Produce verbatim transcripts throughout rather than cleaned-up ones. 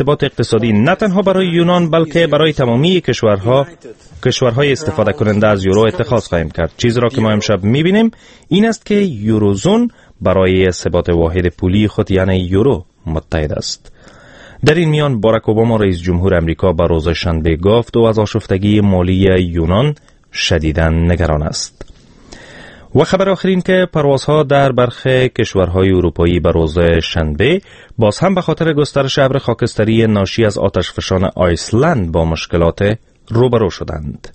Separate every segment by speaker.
Speaker 1: ثبات اقتصادی نه تنها برای یونان بلکه برای تمامی کشورها کشورهای استفاده کننده از یورو اتخاذ خواهیم کرد. چیزی را که ما امشب میبینیم این است که یوروزون برای ثبات واحد پولی خود یعنی یورو متحد است. در این میان باراک اوباما رئیس جمهور امریکا به روز شنبه گفت او از آشفتگی مالی یونان شدیداً نگران است. و خبر آخرین که پروازها در برخی کشورهای اروپایی به روز شنبه باز هم به خاطر گسترش ابر خاکستری ناشی از آتشفشان آیسلند با مشکلات روبرو شدند.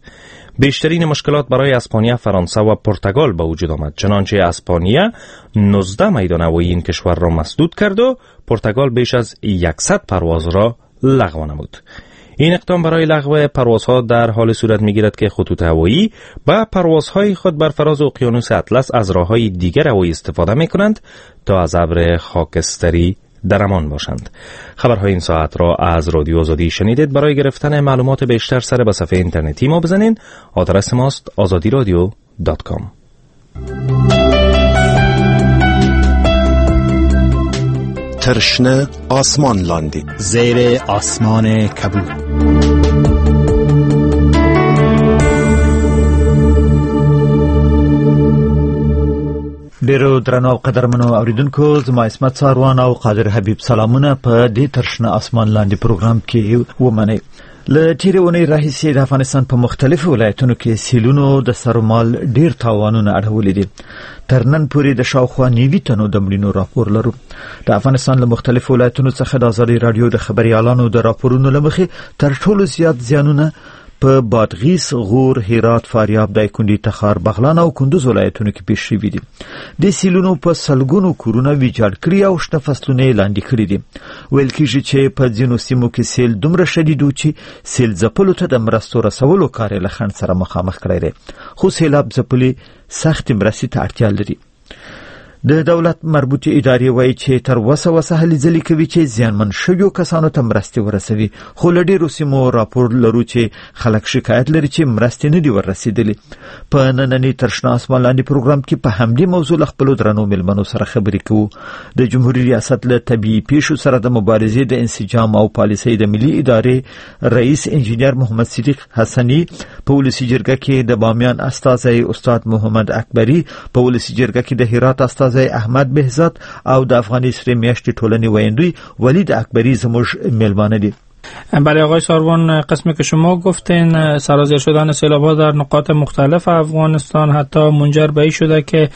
Speaker 1: بیشترین مشکلات برای اسپانیا، فرانسه و پرتغال به وجود آمد، چنانچه اسپانیا نوزده میدان هوایی این کشور را مسدود کرد و پرتغال بیش از صد پرواز را لغو نمود. این اقدام برای لغو پروازها در حال صورت می‌گیرد که خطوط هوایی با پروازهای خود بر فراز اقیانوس اطلس از راه‌های دیگر هوایی استفاده می‌کنند تا از ابر خاکستری در امان باشند. خبرهای این ساعت را از رادیو آزادی شنیدید. برای گرفتن معلومات بیشتر سر به صفحه اینترنتی ما بزنین. آدرس ماست آزادی رادیو دات کام.
Speaker 2: ترشنه آسمان لاندی،
Speaker 3: زیر آسمان کبود.
Speaker 4: ډیرو درنو او قدرمنو اوریدونکو، زما عصمت څاروان او قادر حبیب سلامونه په دې تر شنه اسمان لاندې پروګرام کې ومنئ. له تیرې اونۍ راهیسې د افغانستان په مختلفو ولایتونو کې سیلونو د سرمال ډیر تاوانونه اړولي دي. تر نن پورې د شاوخوا نوي تنو د مړینو راپور لرو. د افغانستان له مختلفو ولایتونو څخه د ازادي راډیو د خبریالانو د راپورونو له مخې تر ټولو زیات زیانونه په بادغیس، غور، هرات، فاریاب، دایکندي، تخار، بغلان او کندوز ولایتونو کې پیښ شوي دي. د سیلونو په سلګونو کورونه ویجاړ کړي او شنه فصلونه یې لاندې کړي دي. ویل کیږي چې په ځینو سیمو کې سیل دومره شدید و چې سیل ځپلو ته د مرستو رسولو کار یې له خنډ سره مخامخ کړی دی، خو سیلاب ځپلي سختې مرستې ته اړتیا لري. د دولت مربوطې ادارې وایي چې تر وسه وسه هلې ځلې کوي چې زیانمن شویو کسانو ته مرستې ورسوي، خو له ډېرو سیمو راپور لرو چې خلک شکایت لري چې مرستې نه دي وررسېدلې. په ننني تر شنه اسمان لاندې پروګرام کې په همدې موضوع له خپلو درنو مېلمنو سره خبرې کوو. د جمهوري ریاست له طبیعي پیښو سره د مبارزې د انسجام او پالیسۍ د ملي ادارې رئیس انجینر محمد صدیق حسني، په ولسي جرګه کې د بامیان استازی استاد محمد اکبري، په ولسي جرګه کې د هرات استازی احمد بهزاد او د افغاني سرې میاشتې ټولنې ویندوی ولید اکبری زموږ میلمانه دي.
Speaker 5: بله آقای ساروان، قسمی که شما گفتین سرازیر شدن سیلاب‌ها در نقاط مختلف افغانستان حتی منجر به این شده که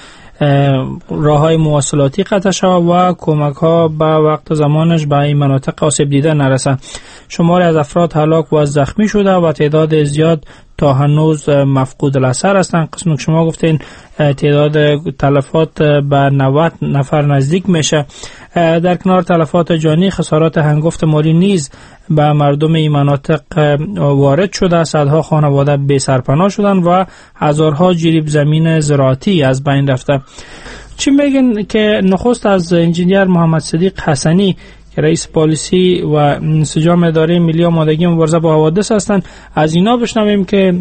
Speaker 5: راه‌های مواصلاتی قطع شود و کمک‌ها به وقت زمانش به این مناطق آسیب دیده نرسند. شماری از افراد هلاک و زخمی شده و تعداد زیاد تا هنوز مفقود الاثر هستند. قسمی که شما گفتین تعداد تلفات به نود نفر نزدیک میشه. در کنار تلفات جانی، خسارات هنگفت مالی نیز به مردم این مناطق وارد شده. صدها خانواده بی سرپناه شدند و هزارها جریب زمین زراعتی از بین رفته. چی میگن که نخست از انجینیر محمد صدیق حسنی که رئیس پالیسی و انسجام اداره ملی آمادگی مبارزه با حوادث هستند، از اینا بشنویم که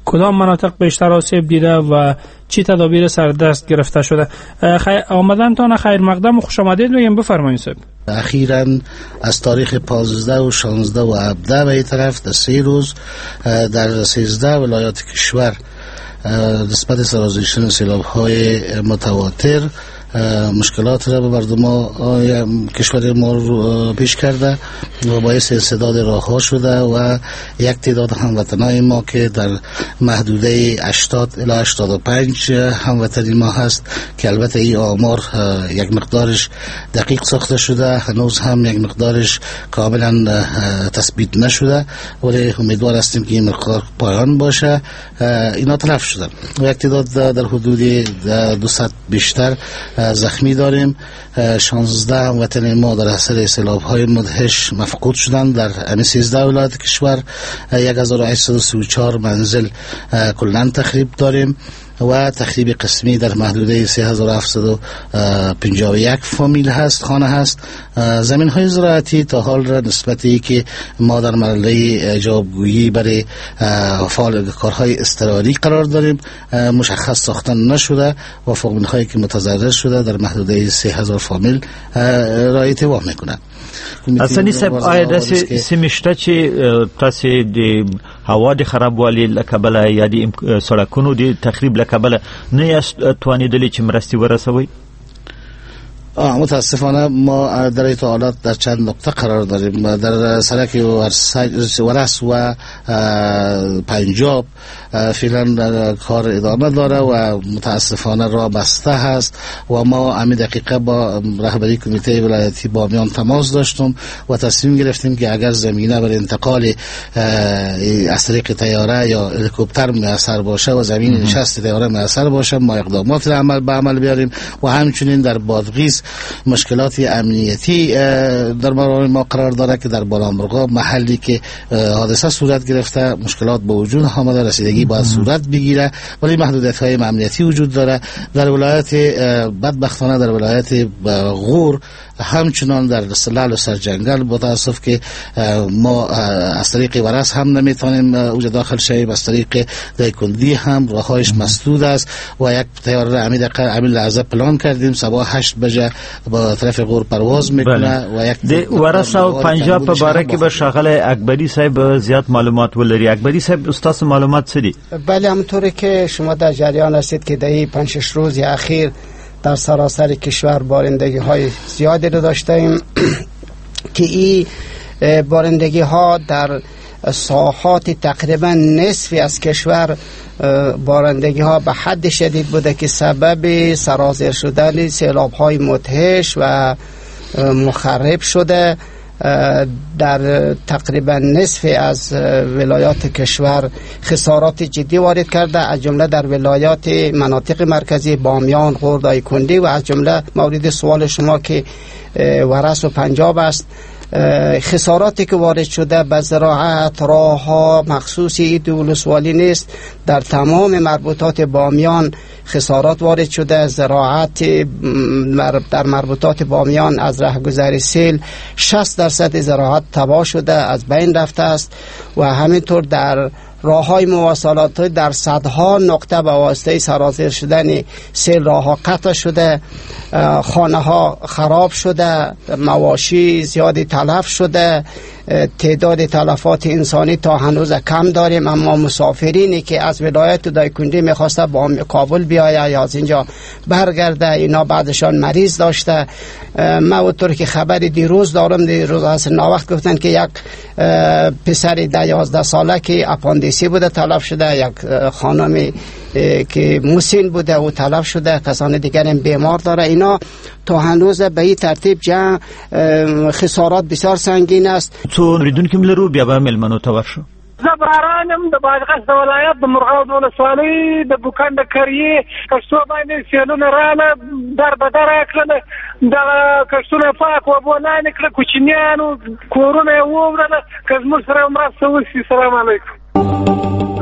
Speaker 5: کدام مناطق بیشتر آسیب دیده و چی تدابیر سردست گرفته شده. خی... آمدن تان خیر مقدم و خوش آمدید میگم، بفرمایید صاحب.
Speaker 6: اخیراً از تاریخ پانزده و شانزده و هفده به این طرف در سه روز در سیزده ولایات کشور نسبت سرازیر شدن سیلاب‌های متواتر مشکلات را به مردم کشور ما پیش کرده و باعث انسداد راه‌ها شده و یک تعداد هموطنای ما که در محدوده هشتاد الی هشتاد و پنج هموطنی ما هست که البته این آمار یک مقدارش دقیق ساخته شده، هنوز هم یک مقدارش کاملا تثبیت نشده، ولی امیدوار هستیم که این مقدار پایان باشه. اینا تلف شده و یک تعداد در حدود دویست بیشتر زخمی داریم. شانزده هموطن ما در اثر سیلاب‌های مدهش مفقود شدند در همین سیزده ولایت کشور. هزار و هشتصد و سی و چهار منزل کلاً تخریب داریم و تخریب قسمی در محدوده سه هزار و هفتصد و پنجاه و یک فامیل هست، خانه هست. زمین های زراعتی تا حال را نسبتی که ما در مرحله جوابگویی برای فعال کارهای اضطراری قرار داریم مشخص ساختن نشده و فامیل هایی که متضرر شده در محدوده سه هزار فامیل رعایت وام میکنند.
Speaker 4: حسني صاحب، آیا داسې سیمې شته چې تاسې د هوا د خرابوالي له کبله یا د سړکونو د تخریب له کبله نه یاست توانېدلي چې مرستې ورسوئ؟
Speaker 6: متاسفانه ما در این حالات در چند نقطه قرار داریم. در سرک ورس و پنجاب فعلا کار ادامه داره و متاسفانه راه بسته هست و ما همین دقیقه با رهبری کمیته ولایتی بامیان تماس داشتم و تصمیم گرفتیم که اگر زمینه بر انتقال از طریق طیاره یا هلیکوپتر میسر باشه و زمین نشست طیاره میسر باشه، ما اقدامات را عمل به عمل بیاریم. و همچنین در بادغیس مشکلات امنیتی در ما قرار داره که در بالامرغاب محلی که حادثه صورت گرفته مشکلات به وجود آمده، رسیدگی باید صورت بگیره، ولی محدودیت های امنیتی وجود داره. در ولایت بدبختانه در ولایت غور همچنان در سلال و سرجنگل با تاسف که ما از طریق ورس هم نمیتونیم اوج داخل شویم، از طریق دایکندی هم راههایش مسدود است و یک طیاره را همین دقیقه همین لحظه پلان کردیم صبح هشت بجه با طرف غور پرواز میکنه. و یک
Speaker 4: د ورس او پنجاب په باره کې به ښاغلی اکبری صاحب زیات معلومات ولري. اکبری صاحب، ستاسو معلومات څه دي؟
Speaker 7: بله، همونطوری که شما در جریان هستید که در این پنج شش روز اخیر در سراسر کشور بارندگی های زیادی رو داشتیم که این بارندگی ها در ساحات تقریبا نصفی از کشور بارندگی ها به حد شدید بوده که سبب سرازیر شدن سیلاب های مدهش و مخرب شده. در تقریبا نصف از ولایات کشور خسارات جدی وارد کرده، از جمله در ولایات مناطق مرکزی بامیان، غور، دایکندی و از جمله مورد سوال شما که ورس و پنجاب است. خساراتی که وارد شده به زراعت، راه‌ها، مخصوصی دو ولسوالی نیست، در تمام مربوطات بامیان خسارات وارد شده. زراعت در مربوطات بامیان از رهگذر سیل شصت درصد زراعت تباه شده، از بین رفته است و همینطور در راه‌های مواصلات در صدها نقطه به واسطه سرازیر شدن سیل راه‌ها قطع شده، خانه‌ها خراب شده، مواشی زیادی تلف شده، تعداد تلفات انسانی تا هنوز کم داریم. اما مسافرینی که از ولایت دایکندی میخواسته با کابل بیاید یا از اینجا برگرده، اینا بعدشان مریض داشته. ما اونطور که خبر دیروز دارم، دیروز از ناوقت گفتن که یک پسر ده یازده ساله که اپاندیسی بوده تلف شده، یک خانمی که مسن بوده او تلف شده، کسان دیگر هم بیمار داره. اینا تا هنوز به این ترتیب جمع خسارات بسیار سنگین است.
Speaker 4: څو اوریدونکي هم لرو، بیا به مېلمنو ته ورشو.
Speaker 8: زه باران یم د بادغیس د ولایت د مرغاو د ولسوالۍ د بوکند کریې. کښتو باندې سیلونه راله، در به در یې کړله، دغه کښتونه پاک اوبو لاندې کړه، کوچنیانو کورونه یې ووړله. که زموږ سره مرسته وشي. سلام علیکم.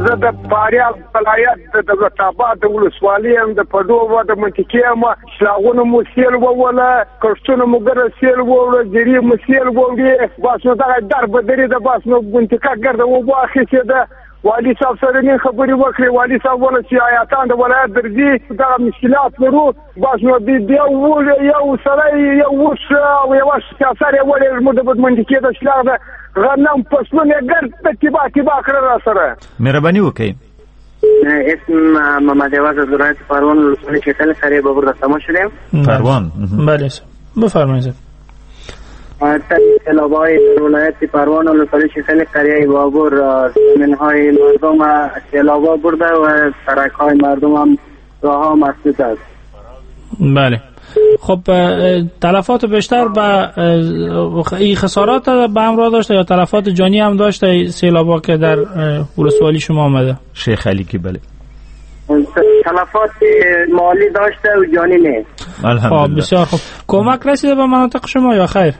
Speaker 9: زه د فاریاب ولایت د دولت آباد د ولسوالۍ یم، د پډو د منطقې یم. سلاغونه مو سیل ووله، کښتونه مو ګرده سیل ووړه، جرې مو سیل ووړې. بس نو دغه در بدري ده، بس نو منطقه ګرده اوبو اخیستې ده. والي صاحب سره نن خبرې وکړې، والي صاحب وویل چې حیاتان د ولایت درځي، دغه مشکلات لرو. بس نو یو یو سړی یو اوښ او یوه سر یې وړی زموږ د منطقې د شلاغ ده، غنم فصلونه یې ګرد تباه تباه کړل را سره.
Speaker 4: مهرباني وکړئ.
Speaker 10: اسم محمد عوض از ولایت پروان ولسوالی شیخ قریه بابر در تماس شدیم.
Speaker 4: پروان،
Speaker 5: بله بفرمایید.
Speaker 10: سیلاب‌های ولایت پروان ولسوالی شیخ قریه بابر زمین‌های مردم سیلاب‌ها برده و سرک‌های مردم هم راه‌ها مسدود است.
Speaker 5: بله، خب تلفات بیشتر به این خسارات به همراه داشته یا تلفات جانی هم داشته سیلاب‌ها که در ولسوالی شما آمده؟
Speaker 4: شیخ علی که بله،
Speaker 10: تلفات مالی داشته و جانی نه.
Speaker 5: الحمدلله، بسیار خوب. کمک رسیده به مناطق شما یا خیر؟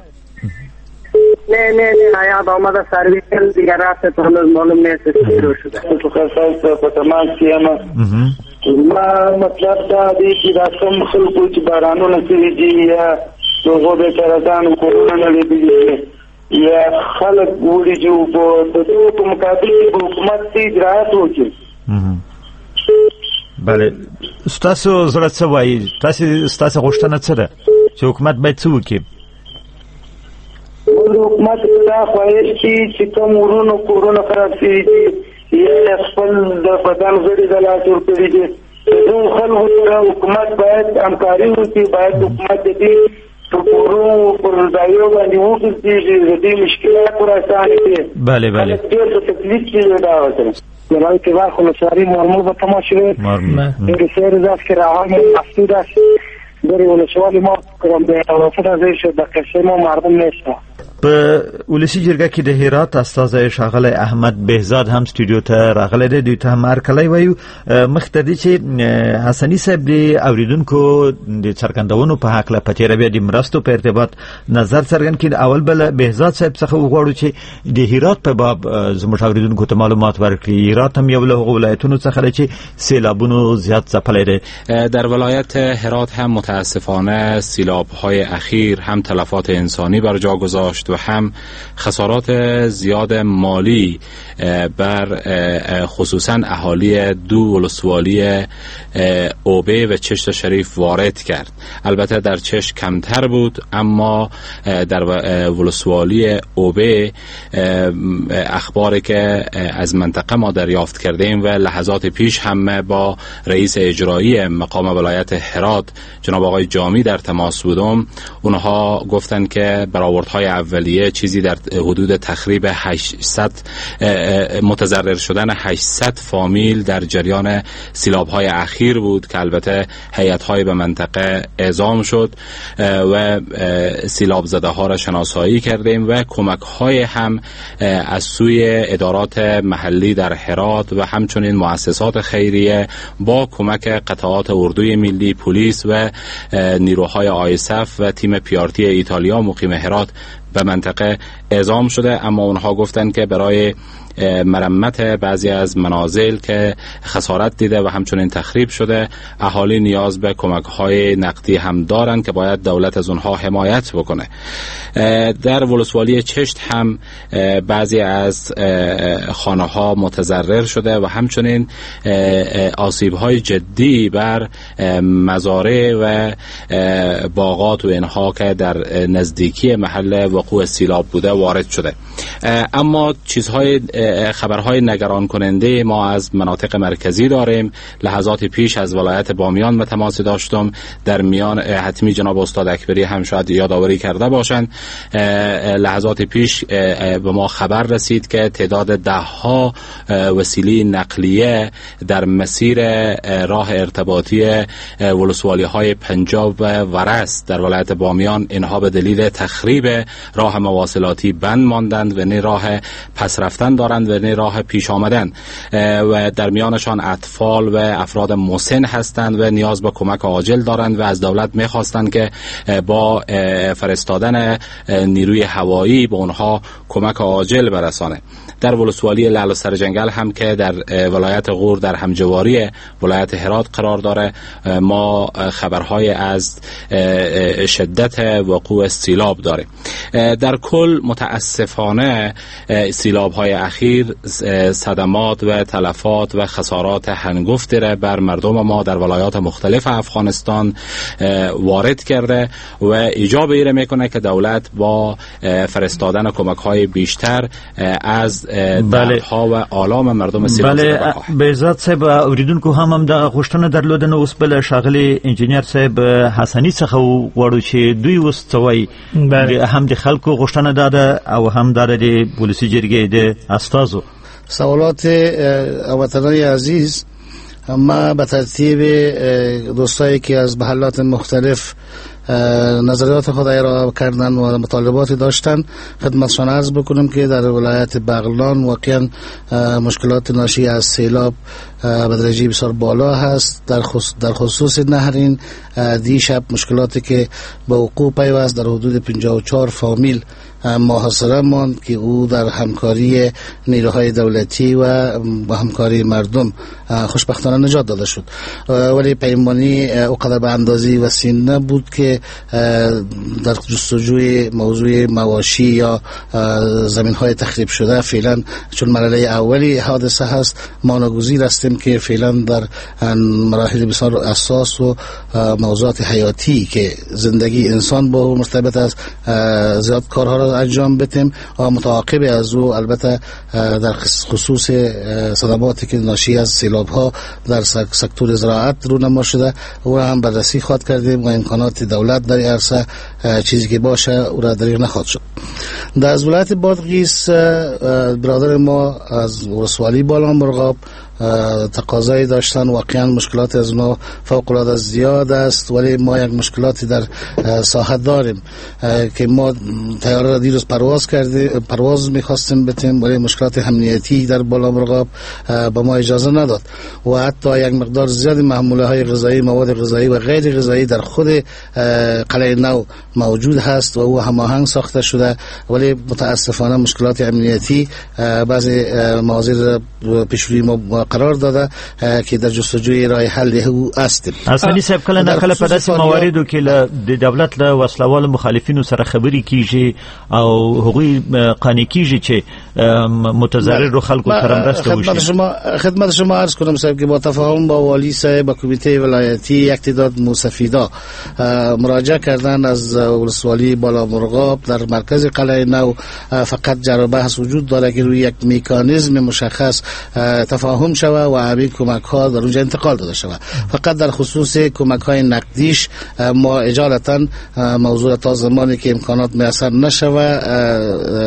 Speaker 10: نه نه نه، حیات آمده سرویس دیگر رفته، تا هنوز معلوم نیست چی شده.
Speaker 11: تو خاصه په تماس کې یم. ما مطلب دا دی چې دا کوم خلکو چې بارانونه شوي دي یا د هغو بیچارهګانو کورونه نړېدلي یا خلک وړي چې اوبو د دغو په مقابل کې به حکومت څه اجراات وکړي.
Speaker 4: بله، ستاسو زړه څه وایي؟ تاسې ستاسو غوښتنه څه ده چې حکومت باید څه وکړي؟
Speaker 11: حکومت دا خواهش دی چې کوم ورونو کورونه خراب شوي دي یا خپل د بدن غړي د لاسه ورکړي دي، دغو خلکو سره حکومت باید همکاري وکړي. باید حکومت د دې په کورونو پر ځایو باندې وګرځېږي، د دې مشکلات ور اسانه کړي.
Speaker 4: بله بله،
Speaker 11: ډېر په تکلیف کې دی دا وطن.
Speaker 8: ولایت بلخ ولسواری مارمول به تماس شده. سه روز است که راههای مسدود است. در ولسوالی ما توافق از شد در قصه ما مردم نیست.
Speaker 4: په ولسی جرګه کې د هرات استازی ښاغلی احمد بهزاد هم سټوډیو ته راغلی دی، دوی ته هم هرکلی وایو. مخ ته دی چې حسني صاحب د اوریدونکو د څرګندونو په هکله په تېره بیا د مرستو په ارتباط نظر څرګند کړي. اول به له بهزاد صاحب څخه وغواړو چې د هرات په باب زموږ اوریدونکو ته معلومات ورکړي. هرات هم یو له هغو ولایتونو څخه دی چې سیلابونو زیات ځپلی دی.
Speaker 12: در ولایت هرات هم متاسفانه سیلاب‌های اخیر هم تلفات انسانی بر جا گذاشت و هم خسارات زیاد مالی بر خصوصا اهالی دو ولسوالی اوبه و چشت شریف وارد کرد. البته در چشت کمتر بود، اما در ولسوالی اوبه اخباری که از منطقه ما دریافت کردیم و لحظات پیش هم با رئیس اجرایی مقام ولایت هرات جناب آقای جامی در تماس بودم، اونها گفتند که برآوردهای اولیه چیزی در حدود تخریب هشتصد متضرر شدن هشتصد فامیل در جریان سیلاب‌های اخیر بود که البته هیئت‌های به منطقه اعزام شد و سیلاب زده ها را شناسایی کردیم و کمک‌های هم از سوی ادارات محلی در هرات و همچنین مؤسسات خیریه با کمک قطعات اردوی ملی، پلیس و نیروهای آیسف و تیم پیارتی ایتالیا مقیم هرات به منطقه اعزام شده. اما اونها گفتند که برای مرمت بعضی از منازل که خسارت دیده و همچنین تخریب شده اهالی نیاز به کمک‌های نقدی هم دارند که باید دولت از اونها حمایت بکنه. در ولسوالی چشت هم بعضی از خانه‌ها متضرر شده و همچنین آسیب‌های جدی بر مزارع و باغات و اینها که در نزدیکی محل وقوع سیلاب بوده وارد شده. اما چیزهای خبرهای نگران کننده ما از مناطق مرکزی داریم. لحظات پیش از ولایت بامیان به تماس داشتم، در میان حتمی جناب استاد اکبری هم شاید یادآوری کرده باشند. لحظات پیش به ما خبر رسید که تعداد ده ها وسیله نقلیه در مسیر راه ارتباطی ولسوالی های پنجاب و ورس در ولایت بامیان اینها به دلیل تخریب راه مواصلاتی بند ماندند و نه راه پس رفتن دارند و نه راه پیش آمدن و در میانشان اطفال و افراد مسن هستند و نیاز به کمک عاجل دارند و از دولت میخواستند که با فرستادن نیروی هوایی به اونها کمک عاجل برسانه. در ولسوالی لعل و سرجنگل هم که در ولایت غور در همجواری ولایت هرات قرار داره ما خبرهای از شدت وقوع سیلاب داره. در کل متاسفانه سیلاب های اخیر صدمات و تلفات و خسارات هنگفتی را بر مردم ما در ولایات مختلف افغانستان وارد کرده و ایجاب ایره میکنه که دولت با فرستادن کمک های بیشتر از دردها و آلام مردم سیلاب زده بکاهه.
Speaker 4: بهزاد صاحب اوریدونکو هم هم دغه غوښتنه درلوده، نو اوس بل ښاغلی انجینر صاحب حسني څخه وغواړو چې دوی اوس څه وایي. هم د خلکو غوښتنه دا ده او هم دا د ولسی جرګې د استازو.
Speaker 6: سوالات وطنای عزیز، ما به ترتیب دوستایی که از محلات مختلف نظریات خود ارائه کردن و مطالباتی داشتن خدمتشان عرض بکنم که در ولایت بغلان واقعا مشکلات ناشی از سیلاب به درجه بسیار بالا هست. در خصوص در خصوص نهرین دیشب مشکلاتی که به وقوع پیوست در حدود پنجاه و چهار فامیل محاصره ماند که او در همکاری نیروهای دولتی و با همکاری مردم خوشبختانه نجات داده شد، ولی پیمانی اوقدر به اندازه وسیع نبود که در جستجوی موضوع مواشی یا زمین های تخریب شده فعلا چون مرحله اولی حادثه هست ما ناگزیر هستیم که فعلا در مراحل بسیار اساس و موضوعات حیاتی که زندگی انسان با مرتبط است زیاد کارها را انجام بدیم و متعاقب از او البته در خصوص صدماتی که ناشی از سیلاب ها در سکتور زراعت رونما شده او هم بررسی خواهد کردیم و امکانات دولت در عرصه چیزی که باشه او را دریغ نخواهد شد. در از ولایت بادغیس برادر ما از ولسوالی بالا مرغاب تقاضایی داشتن، واقعا مشکلات از اونا فوق العاده زیاد است، ولی ما یک مشکلاتی در ساحه داریم که ما طیاره را دیروز پرواز کردیم، پرواز میخواستیم بتیم، ولی مشکلات امنیتی در بالا مرغاب به ما اجازه نداد و حتی یک مقدار زیاد محموله های غذایی، مواد غذایی و غیر غذایی در خود قلعه نو موجود هست و او هماهنگ ساخته شده، ولی متاسفانه مشکلات امنیتی بعضی مواضع پیش روی ما قرار داده که در جستجوی راه حل او هستیم.
Speaker 4: حسني صاحب کله نه کله په داسې مواردو کې له د دولت له وسلوالو مخالفینو سره خبرې کیږي او هغوی قانع کیږي چې متضرر خلکو سره مرسته وشي.
Speaker 6: خدمت شما خدمت شما عرض کنم صاحب که با تفاهم با والی صاحب و کمیته ولایتی یک تعداد موسفیدا مراجعه کردن از ولسوالی بالا مرغاب در مرکز قلعه نو فقط جر و بحث وجود داره که روی یک مکانیزم مشخص تفاهم شوه و همین کمک ها در اونجا انتقال داده شوه. فقط در خصوص کمک های نقدیش ما اجالتا موضوع تا زمانی که امکانات میسر نشوه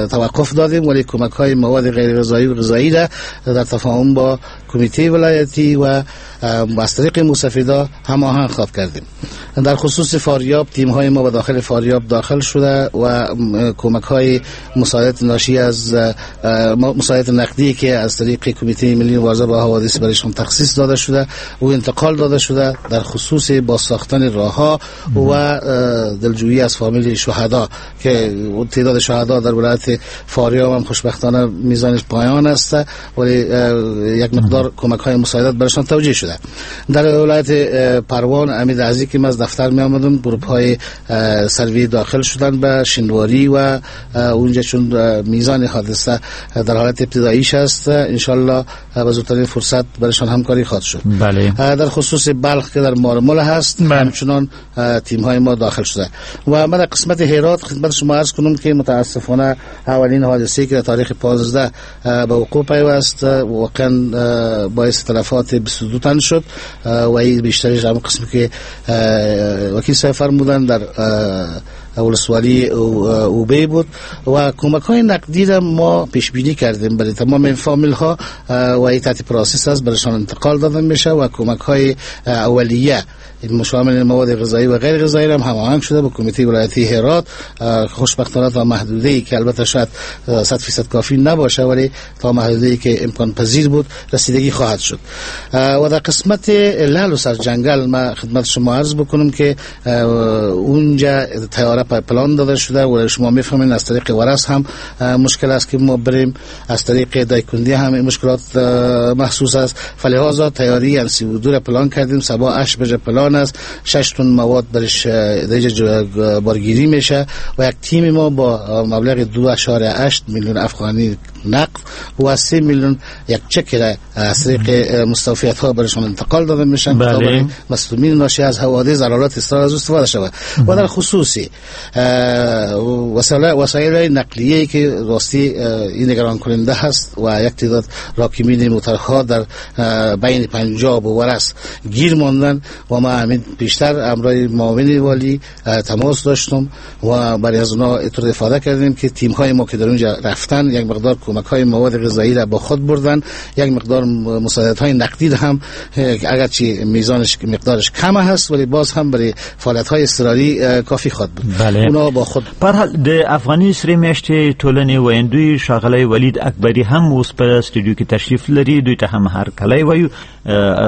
Speaker 6: توقف دادیم، ولی کمک های مواد غیر غذایی و غذایی را در تفاهم با کمیته ولایتی و از طریق موسفیدا هماهنگ خواد کردیم. در خصوص فاریاب تیم های ما به داخل فاریاب داخل شده و کمک های مساعدت ناشی از مساعدت نقدی که از طریق کمیته ملی مبارزه با حوادث برایشان تخصیص داده شده و انتقال داده شده در خصوص بازساختن راه‌ها و دلجویی از فامیل شهدا که تعداد شهدا در ولایت فاریاب هم خوشبختانه میزانش پایان است، ولی یک مقدار کمک های مساعدت برایشان توجیه شده. در ولایت پروان امید عزیزی که من از دفتر می آمدم گروپ های سروی داخل شدن به شینواری و اونجا چون میزان حادثه در حالت ابتداییش است انشالله به زودترین فرصت برایشان همکاری خواهد شد.
Speaker 4: بله.
Speaker 6: در خصوص بلخ که در مارمل هست بله. همچنان تیم های ما داخل شده و من در قسمت هرات خدمت شما عرض کنم که متاسفانه اولین حادثه که در تاریخ پانزده به وقوع پیوست واقعا باعث تلفات بیست و دو تن شد و این بیشترش هم قسمی که وکیل صاحب فرمودن در ولسوالی اوبی بود و کمک های نقدی را ما پیش بینی کردیم برای تمام این فامیل ها و این تحت process است برایشان انتقال داده میشه و کمک های اولیه مشامل مواد غذایی و غیر غذایی هم هماهنگ شده با کمیته ولایتی هرات. خوشبختانه تا محدوده ای که البته شاید صد درصد کافی نباشه ولی تا محدوده ای که امکان پذیر بود رسیدگی خواهد شد. و در قسمت لعل و سرجنگل ما خدمت شما عرض بکنم که اونجا تیاره پلان داده شده و شما میفهمین از طریق ورس هم مشکل است که ما بریم، از طریق دایکندی هم مشکلات محسوس است، فلهذا تیاری ام سی و دو را پلان کردیم. صبح هشت بجه پلان است، شش تن مواد برش دیگه بارگیری میشه و یک تیم ما با مبلغ دو اعشاریه هشت میلیون افغانی نقد و سه میلیون یک چک را از طریق مستوفیت ها برشون انتقال داده میشن تا برای مصدومین ناشی از حوادث ضررات استفاده از استفاده شود. و در خصوصی وسایل وسایل نقلیه که راستی این نگران کننده هست و یک تعداد راکمین موترها در بین پنجاب و ورس گیر ماندن و ما همین بیشتر همراه معاون والی تماس داشتم و برای از اونا اطلاع افاده کردیم که تیم های ما که در اونجا رفتن یک مقدار کمک های مواد غذایی را با خود بردن، یک مقدار مساعدت های نقدی هم اگرچه میزانش مقدارش کم هست ولی باز هم برای فعالیت های اضطراری کافی خواهد بود.
Speaker 4: بله.
Speaker 6: اونا با خود
Speaker 4: په هر حال د افغاني سرې میاشتې ټولنې ویندوی ښاغلی ولید اکبري هم اوس په سټډیو کې تشریف لري، دوی ته هم هرکلی وایو.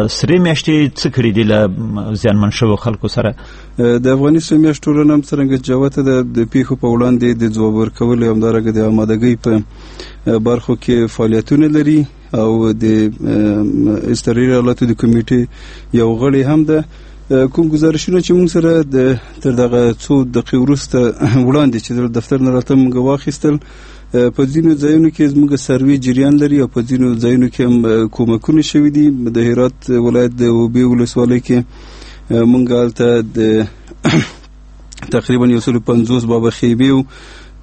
Speaker 4: سرې میاشتې څه کړي دي له زیانمن شوو خلکو سره؟
Speaker 13: د افغاني سرې میاشتې ټولنه هم څرنګه جوته ده د پیښو په وړاندې د ځواب ورکولو همدارنګه د آمادګۍ په برخو کې فعالیتونه لري او د اضطراري حالاتو د کمیټې یو غړی هم ده. کوم گزارشونه چې موږ سره د تر دغه څو دقیقې وروسته وړاندې چې د دفتر نه راته موږ واخیستل، په ځینو ځایونو کې زموږ سروې جریان لري او په ځینو ځایونو کې هم کومکونه شوي دي. د هرات ولایت د اوبې ولسوالۍ کې موږ هلته د تقریبا یو سل پنځوس بابه خیبې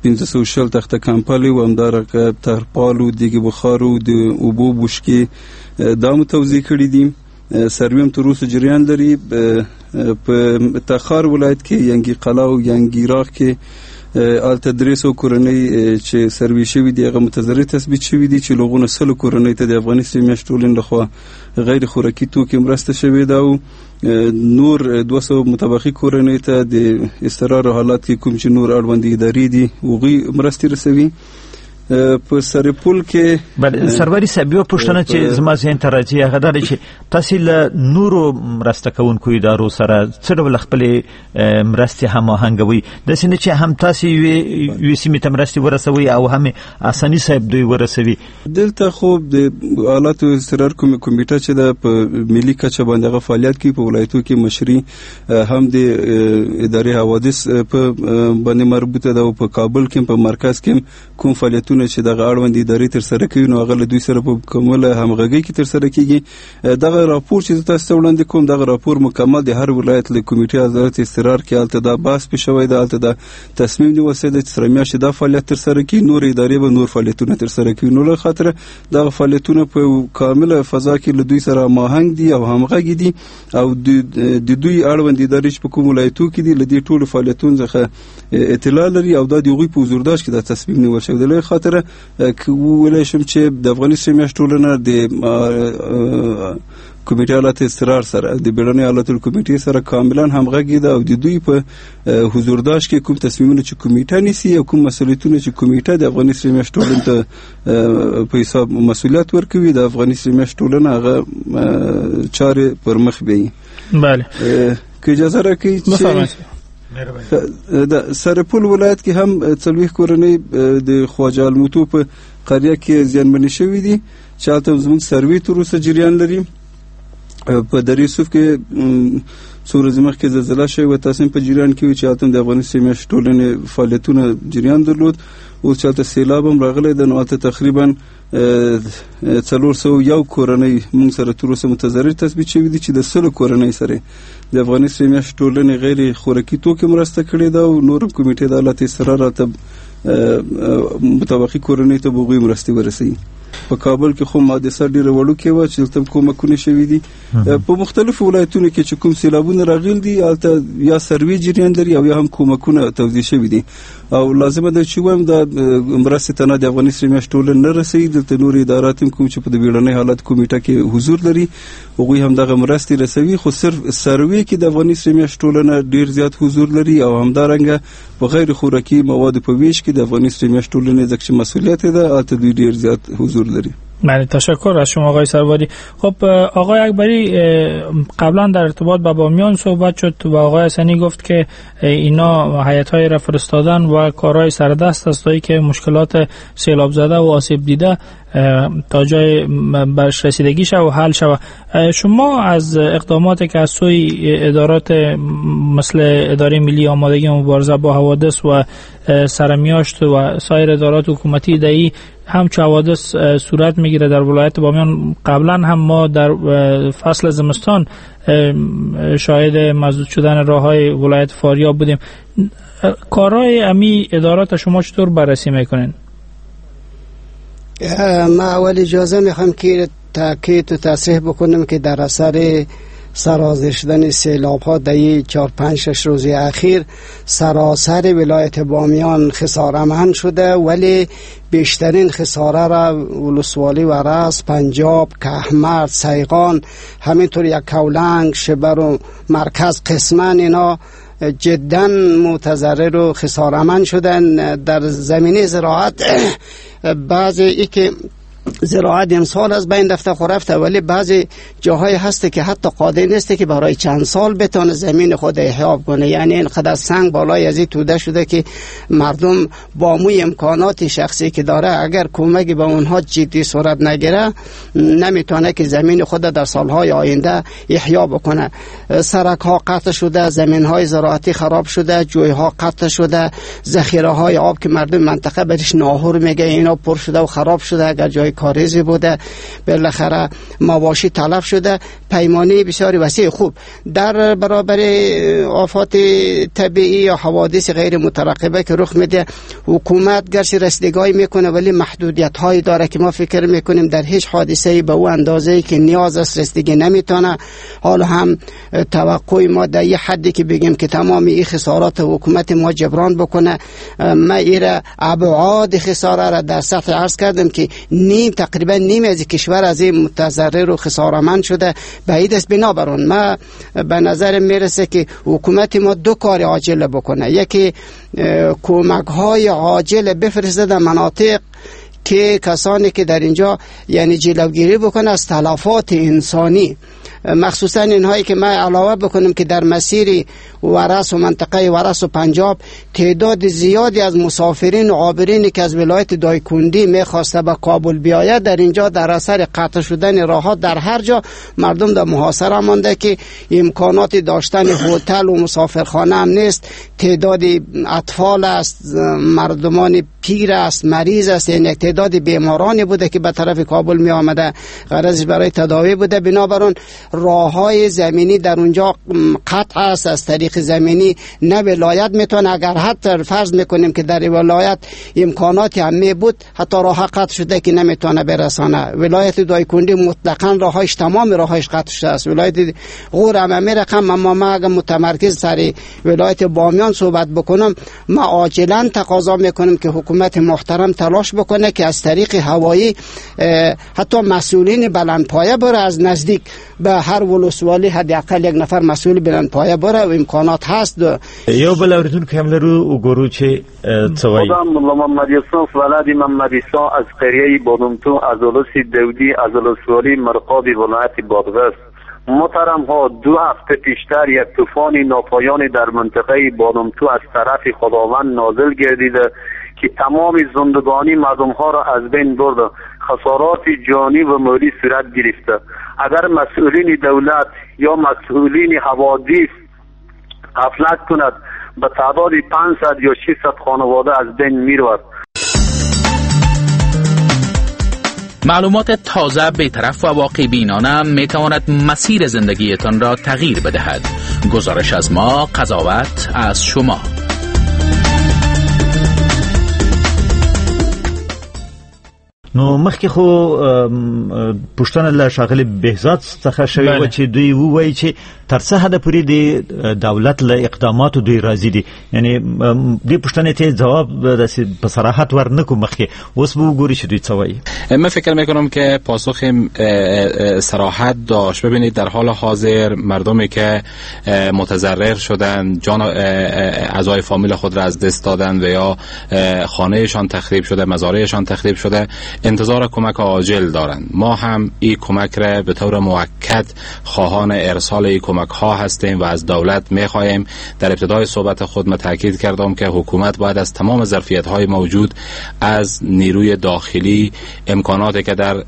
Speaker 13: پنځه سوه شل تخته کمپلې او همدارنګه ترپال او دیګ بخار او د اوبو بوشکې دا مو توزیع کړي دي. سروې هم تر اوسه جریان لري. په تخار ولایت کې ینګي قلعه او ینګي راغ کې هلته درې سوه کورنۍ چې سروې شوي دي هغه متضرر تثبیت شوي دي چې له هغو نه سلو کورنۍ ته د افغاني سرې میاشتې ټولنې لخوا غیر خوراکي توکي مرسته شوې ده او نور دوه سوه متبقي کورنۍ ته د اضطرار حالات کې کوم چې نور اړوندې ادارې دي هغوی مرستې رسوي. په سرپل کې
Speaker 4: بله سروري صاحب یوه پوښتنه چې زما ذهن ته راځي هغه دا ده چې تاسې له نورو مرسته کوونکو ادارو سره څه ډول خپلې مرستې هماهنګوئ، داسې نه چې هم تاسې یوې یوې سیمې ته مرستې ورسوئ او هم حسني صاحب دوی ورسوي؟
Speaker 13: دلته خو د حالاتو اضطرار کومې کمیټه چې ده په ملي کچه باندې هغه فعالیت کوي، په ولایتو کې مشري هم د ادارې حوادث په باندې مربوطه ده او په کابل کې په مرکز کې کوم فعالیتونه چې دغه اړوند ادارې ترسره کوي نو هغه له دوی سره په مکمله همغږۍ کې ترسره کیږي. دغه راپور چې تاسو ته وړاندې کوم دغه راپور مکمل د هر ولایت له کمیټې حالت اضطرار کې هلته دا بحث پې شوی ده، هلته دا تصمیم نیول شوی دی چې سره میاشتې دا فعالیت ترسره کړي، نور ادارې به نور فعالیتونه ترسره کوي. نو له خاطره دغه فعالیتونه په کامله فضا کې له دوی سره هماهنګ دي او همغږي دي او د دوی اړوند ادارې چې په کوم ولایتو کې دي له دې ټولو فعالیتونو څخه اطلاع لري او دا د هغوی په حضورداشت کې دا تصمیم نیول شوی دی. له خاطره وویلی شم چې د افغاني سرې میاشتې ټولنه د کمیټې حالت اضطرار سره د بیړنۍ حالاتو کمیټې سره کاملا همغږي ده او د دوی په حضورداشت کې کوم تصمیمونه چې کمیټه نیسي او کوم مسؤلیتونه چې کمیټه د افغاني سرې میاشتې ټولنې ته په حساب مسؤلیت ورکوي د افغاني سرې میاشتې ټولنه هغه چارې پر مخ بیایي.
Speaker 5: بله
Speaker 13: که اجازه راکړئ چې د سرپل ولایت کې هم څلوېښت کورنۍ د خواجه الموتو په قریه کې زیانمنې شوې دي چې هلته زموږ سروې تر اوسه جریان لري. په درې صوف کې څو ورځې مخکې زلزله شوې وه، تاسو هم په جریان کې وئ چې هلته هم د افغاني سرې میاشتې ټولنې فعالیتونه جریان درلود. اوس چې هلته سیلاب هم راغلی ده نو هلته تقریبا څلور سوه یو کورنۍ موږ سره تر اوسه متضرر تثبیت شوي دي چې د سلو کورنۍ سره د افغاني سرې میاشتې ټولنې غیر خوراکي توکي مرسته کړې ده او نور کمیټې د حالت اضطرار راته متبقي کورنۍ ته به هغوی مرستې ورسوي. په کابل کې خو حادثه ډېره وړوکې وه چې دلته کومکونه شوي دي. په مختلفو ولایتونو کې چې کوم سیلابونه راغلي دي هلته یا سروې جریان لري او یا هم کومکونه توزیع شوي دي او لازمه ده چې ووایم دا مرستې ته نه د افغاني سرې میاشتې ټولنه نه رسوي. دلته نور ادارات هم کوم چې په د بیړنۍ حالت کمیټه کې حضور لري هغوی هم دغه مرستې رسوي، خو صرف سروې کې د افغاني سرې میاشتې ټولنه ډېر زیات حضور لري او همدارنګه په غیر خوراکي موادو په ویش کې د افغاني سرې میاشتې ټولنې ځکه چې مسؤلیت ده هلته دوی ډېر زیات حضور لري.
Speaker 5: بله تشکر از شما آقای سروری. خب آقای اکبری قبلا در ارتباط با بامیان صحبت شد و آقای حسنی گفت که اینا هیئت‌های را فرستادن و کارهای سردست است تا که مشکلات سیلاب زده و آسیب دیده تا جای برش رسیدگی شود و حل شود. شما از اقداماتی که از سوی ادارات مثل اداره ملی آمادگی مبارزه با حوادث و سرمیاشت و سایر ادارات حکومتی دهی همچو حوادث صورت میگیره در ولایت بامیان، قبلا هم ما در فصل زمستان شاهد مسدود شدن راه‌های ولایت فاریاب بودیم، کارهای امی ادارات شما چطور بررسی میکنین؟
Speaker 7: ما اول اجازه میخوام که تاکید و تصریح بکنم که در اثر سرازیر شدن سیلاب ها در چهار پنج شش روز اخیر سراسر ولایت بامیان خسارمند شده، ولی بیشترین خساره را ولسوالی ورس، پنجاب، کهمرد، سیغان، همینطور یک کولنگ، شبر و مرکز قسما اینا جدا متضرر و خسارمند شدن. در زمینه زراعت بعضی ای که زراعت امسال از بین رفته خو رفته، ولی بعضی جاهای هست که حتی قادر نیست که برای چند سال بتونه زمین خود احیا کنه، یعنی اینقدر سنگ بالای از این توده شده که مردم با موی امکانات شخصی که داره اگر کمکی به اونها جدی صورت نگیره نمیتونه که زمین خود در سالهای آینده احیا بکنه. سرک ها قطع شده، زمین های زراعتی خراب شده، جوی ها قطع شده، ذخیره های آب که مردم منطقه برش ناهور میگه اینا پر شده و خراب شده، اگر جای های کاریزی بوده، بالاخره مواشی تلف شده، پیمانه بسیار وسیع. خوب در برابر آفات طبیعی یا حوادث غیر مترقبه که رخ میده، حکومت گرچه رسیدگی میکنه ولی محدودیت هایی داره که ما فکر میکنیم در هیچ حادثه‌ای به او اندازه‌ای که نیاز است رسیدگی نمیتونه. حالا هم توقع ما در یه حدی که بگیم که تمام این خسارات حکومت ما جبران بکنه، ما ایره ابعاد خساره را در سطح عرض کردم که نیم تقریبا نیم از کشور از این متضرر و خسارمند شده، بعید است. بنابراین ما به نظر میرسه که حکومت ما دو کار عاجل بکنه، یکی کمک های عاجل بفرسته در مناطق که کسانی که در اینجا یعنی جلوگیری بکنه از تلفات انسانی، مخصوصا اینهایی که ما علاوه بکنیم که در مسیر ورس و منطقه ورس و پنجاب تعداد زیادی از مسافرین و عابرین که از ولایت دایکندی میخواسته به کابل بیاید، در اینجا در اثر قطع شدن راه‌ها در هر جا مردم در محاصره مانده که امکانات داشتن هتل و مسافرخانه هم نیست، تعداد اطفال است، مردمان پیر است، مریض است، یعنی تعداد بیمارانی بوده که به طرف کابل می آمده، غرضش برای تداوی بوده. بنابراین راه‌های زمینی در اونجا قطع است، از طریق زمینی نه ولایت میتونه، اگر حتی فرض میکنیم که در ولایت امکاناتی هم می بود، حتی راه قطع شده که نمیتونه برسانه. ولایت دایکندی مطلقاً راهش تمام راهش قطع شده است، ولایت غور هم می رقم. اما ما اگر متمرکز سر ولایت بامیان صحبت بکنم، ما عاجلا تقاضا میکنم که حکومت محترم تلاش بکنه که از طریق هوایی حتی مسئولین بلندپایه بره از نزدیک به هر ولسوالی حداقل یک نفر مسئول بلندپایه بره و امکانات هست.
Speaker 4: یو بل اوریدونکی هم لرو وګورو چې څه وایي.
Speaker 14: خودم ملا محمد یوسف ولد محمد عیسی از قریه بادمتو از ولس دودی از ولسوالی مرقاب ولایت بادغیس. محترم ها، دو هفته پیشتر یک طوفان ناپایانی در منطقه بادمتو از طرف خداوند نازل گردیده که تمام زندگانی مردم ها را از بین برده، خسارات جانی و مالی صورت گرفته. اگر مسئولین دولت یا مسئولین حوادث غفلت کند، به تعداد پانصد یا ششصد خانواده از بین میرود.
Speaker 15: معلومات تازه، بی‌طرف و واقع بینانه میتواند مسیر زندگیتان را تغییر بدهد. گزارش از ما، قضاوت از شما.
Speaker 4: نو مخکې خو پوښتنه له ښاغلي بهزاد څخه شوې وه چې دوی ووایي چې تر څه حده پورې د دولت له اقداماتو دوی راضي دي، یعنې دې پوښتنې ته ځواب داسې په صراحت ورنکو مخکې، اوس به وګوري چې دوی څه وایي.
Speaker 12: من فکر میکنم که پاسخ صراحت داشت. ببینید در حال حاضر مردمی که متضرر شدن، جان اعضای فامیل خود را از دست دادن و یا خانهشان تخریب شده، مزارعشان تخریب شده، انتظار کمک عاجل دارند. ما هم این کمک را به طور موکد خواهان ارسال این کمک ها هستیم و از دولت میخواهیم. در ابتدای صحبت خود ما تاکید کردم که حکومت باید از تمام ظرفیت های موجود، از نیروی داخلی، امکاناتی که در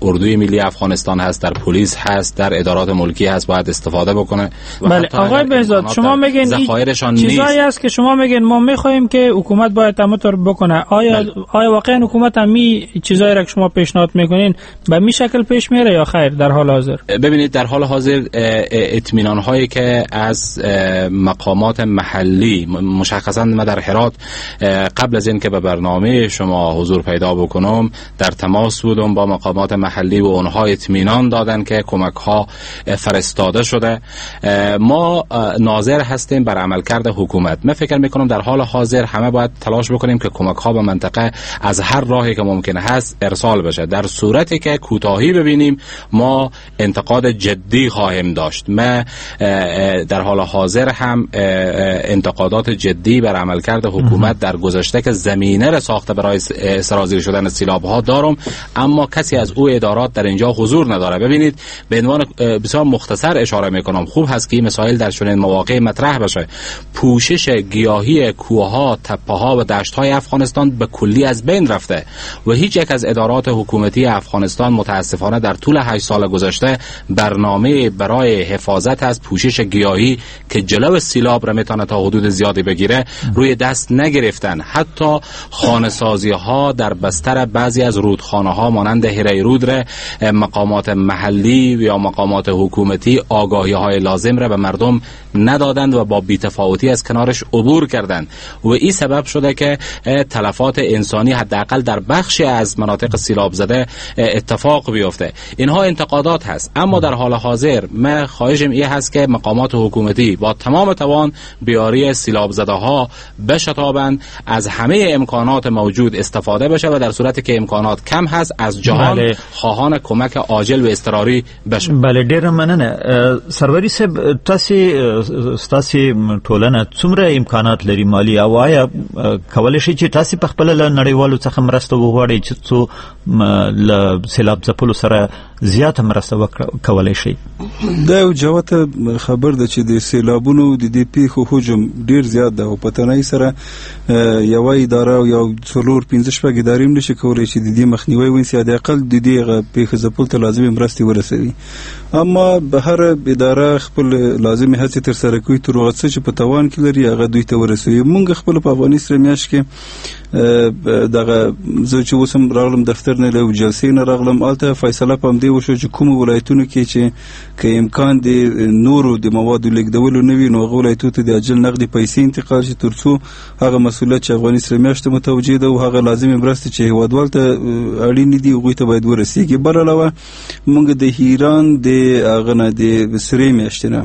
Speaker 12: اردوی ملی افغانستان هست، در پلیس هست، در ادارات ملکی هست، باید استفاده بکنه.
Speaker 5: بله آقای بهزاد، شما میگین چیزایی است که شما میگین ما میخواهیم که حکومت باید همونطور بکنه. آیا بله. آیا واقعا حکومت همی چیزایی را که شما پیشنهاد میکنین به می شکل پیش میره یا خیر در حال حاضر؟
Speaker 12: ببینید در حال حاضر اطمینان هایی که از مقامات محلی، مشخصا من در هرات قبل از اینکه به برنامه شما حضور پیدا بکنم در تماس بودم با مقامات محلی و اونها اطمینان دادن که کمک ها فرستاده شده. ما ناظر هستیم بر عملکرد حکومت. من فکر میکنم در حال حاضر همه باید تلاش بکنیم که کمک ها به منطقه از هر راهی که ممکن هست ارسال بشه. در صورتی که کوتاهی ببینیم ما انتقاد جدی خواهیم داشت. ما در حال حاضر هم انتقادات جدی بر عملکرد حکومت در گذشته که زمینه را ساخته برای سرازیر شدن سیلاب ها دارم، اما کسی از او ادارات در اینجا حضور نداره. ببینید به عنوان بسیار مختصر اشاره میکنم، خوب هست که این مسائل در چنین مواقع مطرح بشه. پوشش گیاهی کوه‌ها، تپه‌ها و دشت‌های افغانستان به کلی از بین رفته و هیچ هیچ یک از ادارات حکومتی افغانستان متاسفانه در طول هشت سال گذشته برنامه برای حفاظت از پوشش گیاهی که جلو سیلاب را میتونه تا حدود زیادی بگیره روی دست نگرفتن. حتی خانه‌سازی ها در بستر بعضی از رودخانه ها مانند هریرود را مقامات محلی یا مقامات حکومتی آگاهی های لازم را به مردم ندادند و با بی‌تفاوتی از کنارش عبور کردند و این سبب شده که تلفات انسانی حداقل در بخشی از مناطق سیلاب زده اتفاق بیفته. اینها انتقادات هست، اما در حال حاضر من خواهشم این هست که مقامات حکومتی با تمام توان بیاری سیلاب زده ها بشتابند، از همه امکانات موجود استفاده بشه و در صورتی که امکانات کم هست از جهان بله. خواهان کمک عاجل و اضطراری بشه.
Speaker 4: بله ډیره مننه سروري صاحب، تاسو ستاسو ټولنه څومره امکانات لري مالي او آیا کولی شئ چې تاسو په خپل له نړیوالو څخه مرسته وغواړئ چې څو له سیلاب ځپلو سره زیاته مرسته کولی شئ؟
Speaker 13: دا یو جوته خبر ده چې د سیلابونو د دې پیښو حجم ډیر زیات ده او په تنهایی سره یوه اداره او یو څلور پنځه شپږ ادارې هم نشي کولی چې د دې مخنیوی ونیسي، حداقل د دې هغه پیښو ځپلو ته لازمې مرستې ورسوي. اما هر اداره خپل لازمې هڅې ترسره کوي تر هغه څه چې په توان کې لري هغه دوی ته ورسوي. موږ خپل په افغاني سره میاشت کې دغه زه چې اوس هم راغلم دفتر نه له جلسې نه راغلم، هلته فیصله په همدې وشو چې کومو ولایتونو کې چې که امکان د نورو د موادو لېږدولو نه وي نو هغه ولایتو ته د عاجل نغدي پیسې انتقال شي تر څو هغه مسؤلیت چې افغاني سره میاشت ته متوجه ده او هغه لازمې مرستې چې هیوادوال ته اړینې دي هغوی ته باید ورسیږي. بل علاوه موږ د ایران د هغه نه د سرې میاشتې نه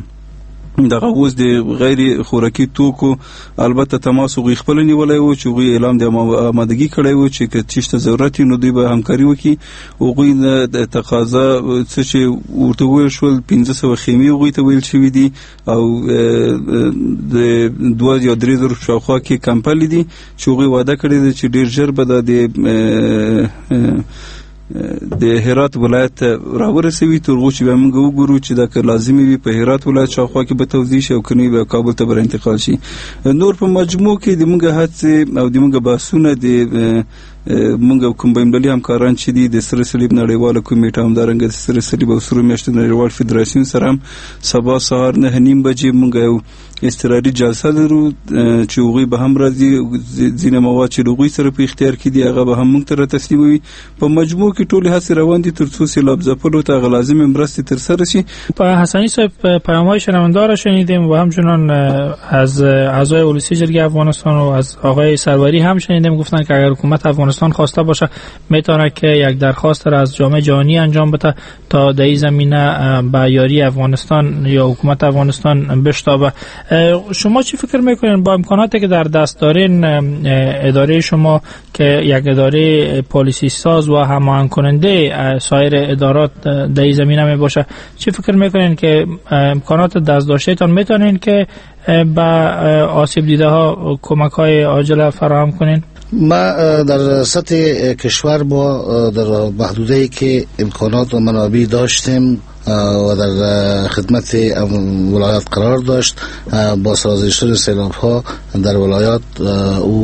Speaker 13: دغه اوس د غیر خوراکي توکو البته تماس هغوی خپله نیولی و چې هغوی اعلام د آمادګي کړی و چې که چیرته ته ضرورت وي نو دوی به همکاري وکړي. هغوی نه د تقاضا څه چې ورته وویل شول پنځه سوه خیمې هغوی ته ویل شوي دي او د دوه یا درې زرو شاوخوا کې کمپلې دي چې هغوی وعده کړې ده چې ډېر ژر به دا د د هرات ولایت ته راورسوي تر هغو چې بیا موږ وګورو چې دا که لازمي وي په هرات ولایت شاوخوا کې به توزیع شي او که نه وي بیا کابل ته به انتقال شي. نور په مجموع کې د موږ هڅې او د موږ بحثونه د موږ کوم بینالمللي همکاران چې دي د سره صلیب نړیواله کمیټه، همدارنګه د سره صلیب او سرو میاشتو نړیوال فدراسیون سره هم سبا سهار نهه نیم بجې موږ یو اضطراري جلسه لرو چې هغوی به هم راځي، ځینې مواد چې له هغوی سره په اختیار کې دي هغه به هم موږ ته را تسلیموي. په مجموع کې ټولې هڅې روان دي تر څو سیلاب ځپلو ته هغه لازمې مرستې ترسره شي.
Speaker 5: په حسنی صاحب پیام‌های شنونده را شنیدیم و همچنان از اعضای ولسی جرگه افغانستان و از آقای سروری هم شنیدیم، گفتن که اگر حکومت افغانستان خواسته باشه میتونه که یک درخواست را از جامعه جهانی انجام بده تا در این زمینه به یاری افغانستان یا حکومت افغانستان بشتابه. شما چی فکر میکنین با امکاناتی که در دست دارین اداره شما که یک اداره پالیسی ساز و هماهنگ کننده سایر ادارات در این زمینه می باشه، چی فکر میکنین که امکانات دست داشته تان میتونین که به آسیب دیده ها کمک های عاجل فراهم کنین؟
Speaker 6: ما در سطح کشور با در محدوده‌ای که امکانات و منابع داشتیم و در خدمت ولایات قرار داشت با سازش سیلاب ها در ولایات او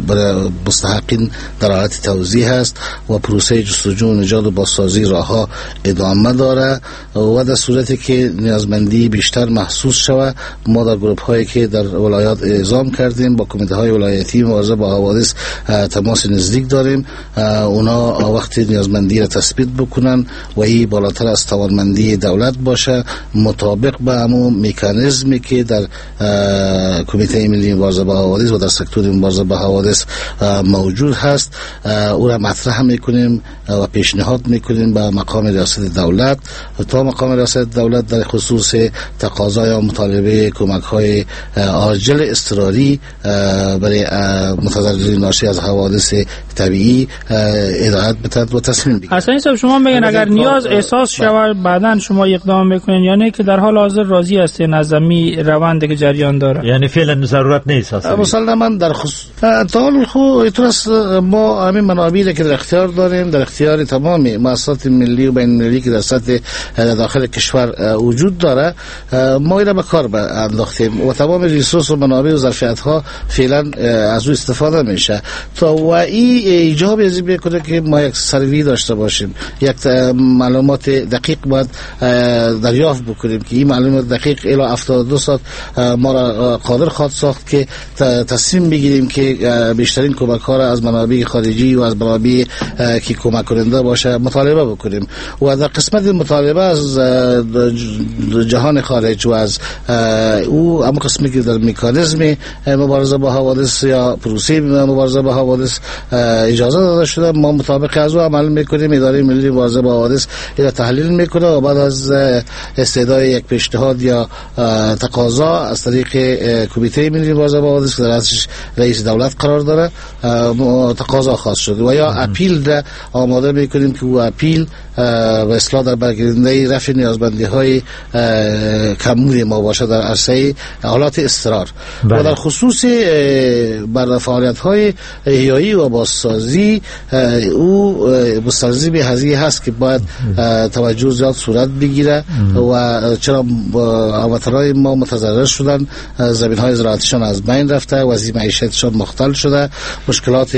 Speaker 6: برای مستحقین در حالت توزیع هست و پروسه جستجو و نجات و بازسازی راهها ادامه داره و در صورتی که نیازمندی بیشتر محسوس شود ما در گروپ هایی که در ولایات اعزام کردیم با کمیته های ولایتی مبارزه با حوادث تماس نزدیک داریم، اونا وقتی نیازمندی را تثبیت بکنن و این بالاتر از توانمندی دولت باشه مطابق به همون مکانیزمی که در کمیته ملی مبارزه با حوادث و در سکتور مبارزه با حوادث موجود هست او را مطرح میکنیم و پیشنهاد میکنیم به مقام ریاست دولت تا مقام ریاست دولت در خصوص تقاضا یا مطالبه کمک های عاجل اضطراری برای متضررین ناشی از حوادث طبیعی هدایت بتد و تصمیم بگیرد.
Speaker 5: حسنی صاحب شما میگن اگر نیاز احساس شود بعدا شما اقدام میکنین، یعنی که در حال حاضر راضی هستین از می روند که جریان داره؟
Speaker 4: یعنی فعلا ضرورت نیست اصلا.
Speaker 6: مسلما در خصوص تا خو اترس ما همین منابعی که در اختیار داریم، در اختیار تمام مؤسسات ملی و بین المللی که در سطح داخل کشور وجود داره، ما اینا به کار انداختیم و تمام ریسورس و منابع و ظرفیت ها فعلا از او استفاده میشه تا و این ایجاب از این میکنه که ما یک سروی داشته باشیم، یک معلومات دقیق باید دریافت بکنیم که این معلومات دقیق الی هفتاد و دو ساعت ما را قادر خواهد ساخت که تصمیم بگیریم که بیشترین کمک ها را از منابع خارجی و از منابع که کمک کننده باشه مطالبه بکنیم. و در قسمت مطالبه از جهان خارج و از او اما قسمی که در مکانیزم مبارزه با حوادث یا پروسه مبارزه با حوادث اجازه داده شده، ما مطابق از او عمل میکنیم. اداره ملی مبارزه با حوادث را تحلیل میکنه و بعد از استدعای یک پیشنهاد یا تقاضا از طریق کمیته ملی مبارزه با حوادث که در رأسش رئیس دولت قرار داره تقاضا خواست شد و یا اپیل را آماده میکنیم که او اپیل به اصلاح در برگیرنده رفع نیازمندی های کمبود ما باشه در عرصه حالات اضطرار. و در خصوص بر فعالیت های احیایی و بازسازی او مستلزم هزینه هست که باید توجه زیاد صورت بگیره و چرا هموطنان ما متضرر شدن، زمین های زراعتشان از بین رفته، وضع معیشتشان مختل شده، مشکلات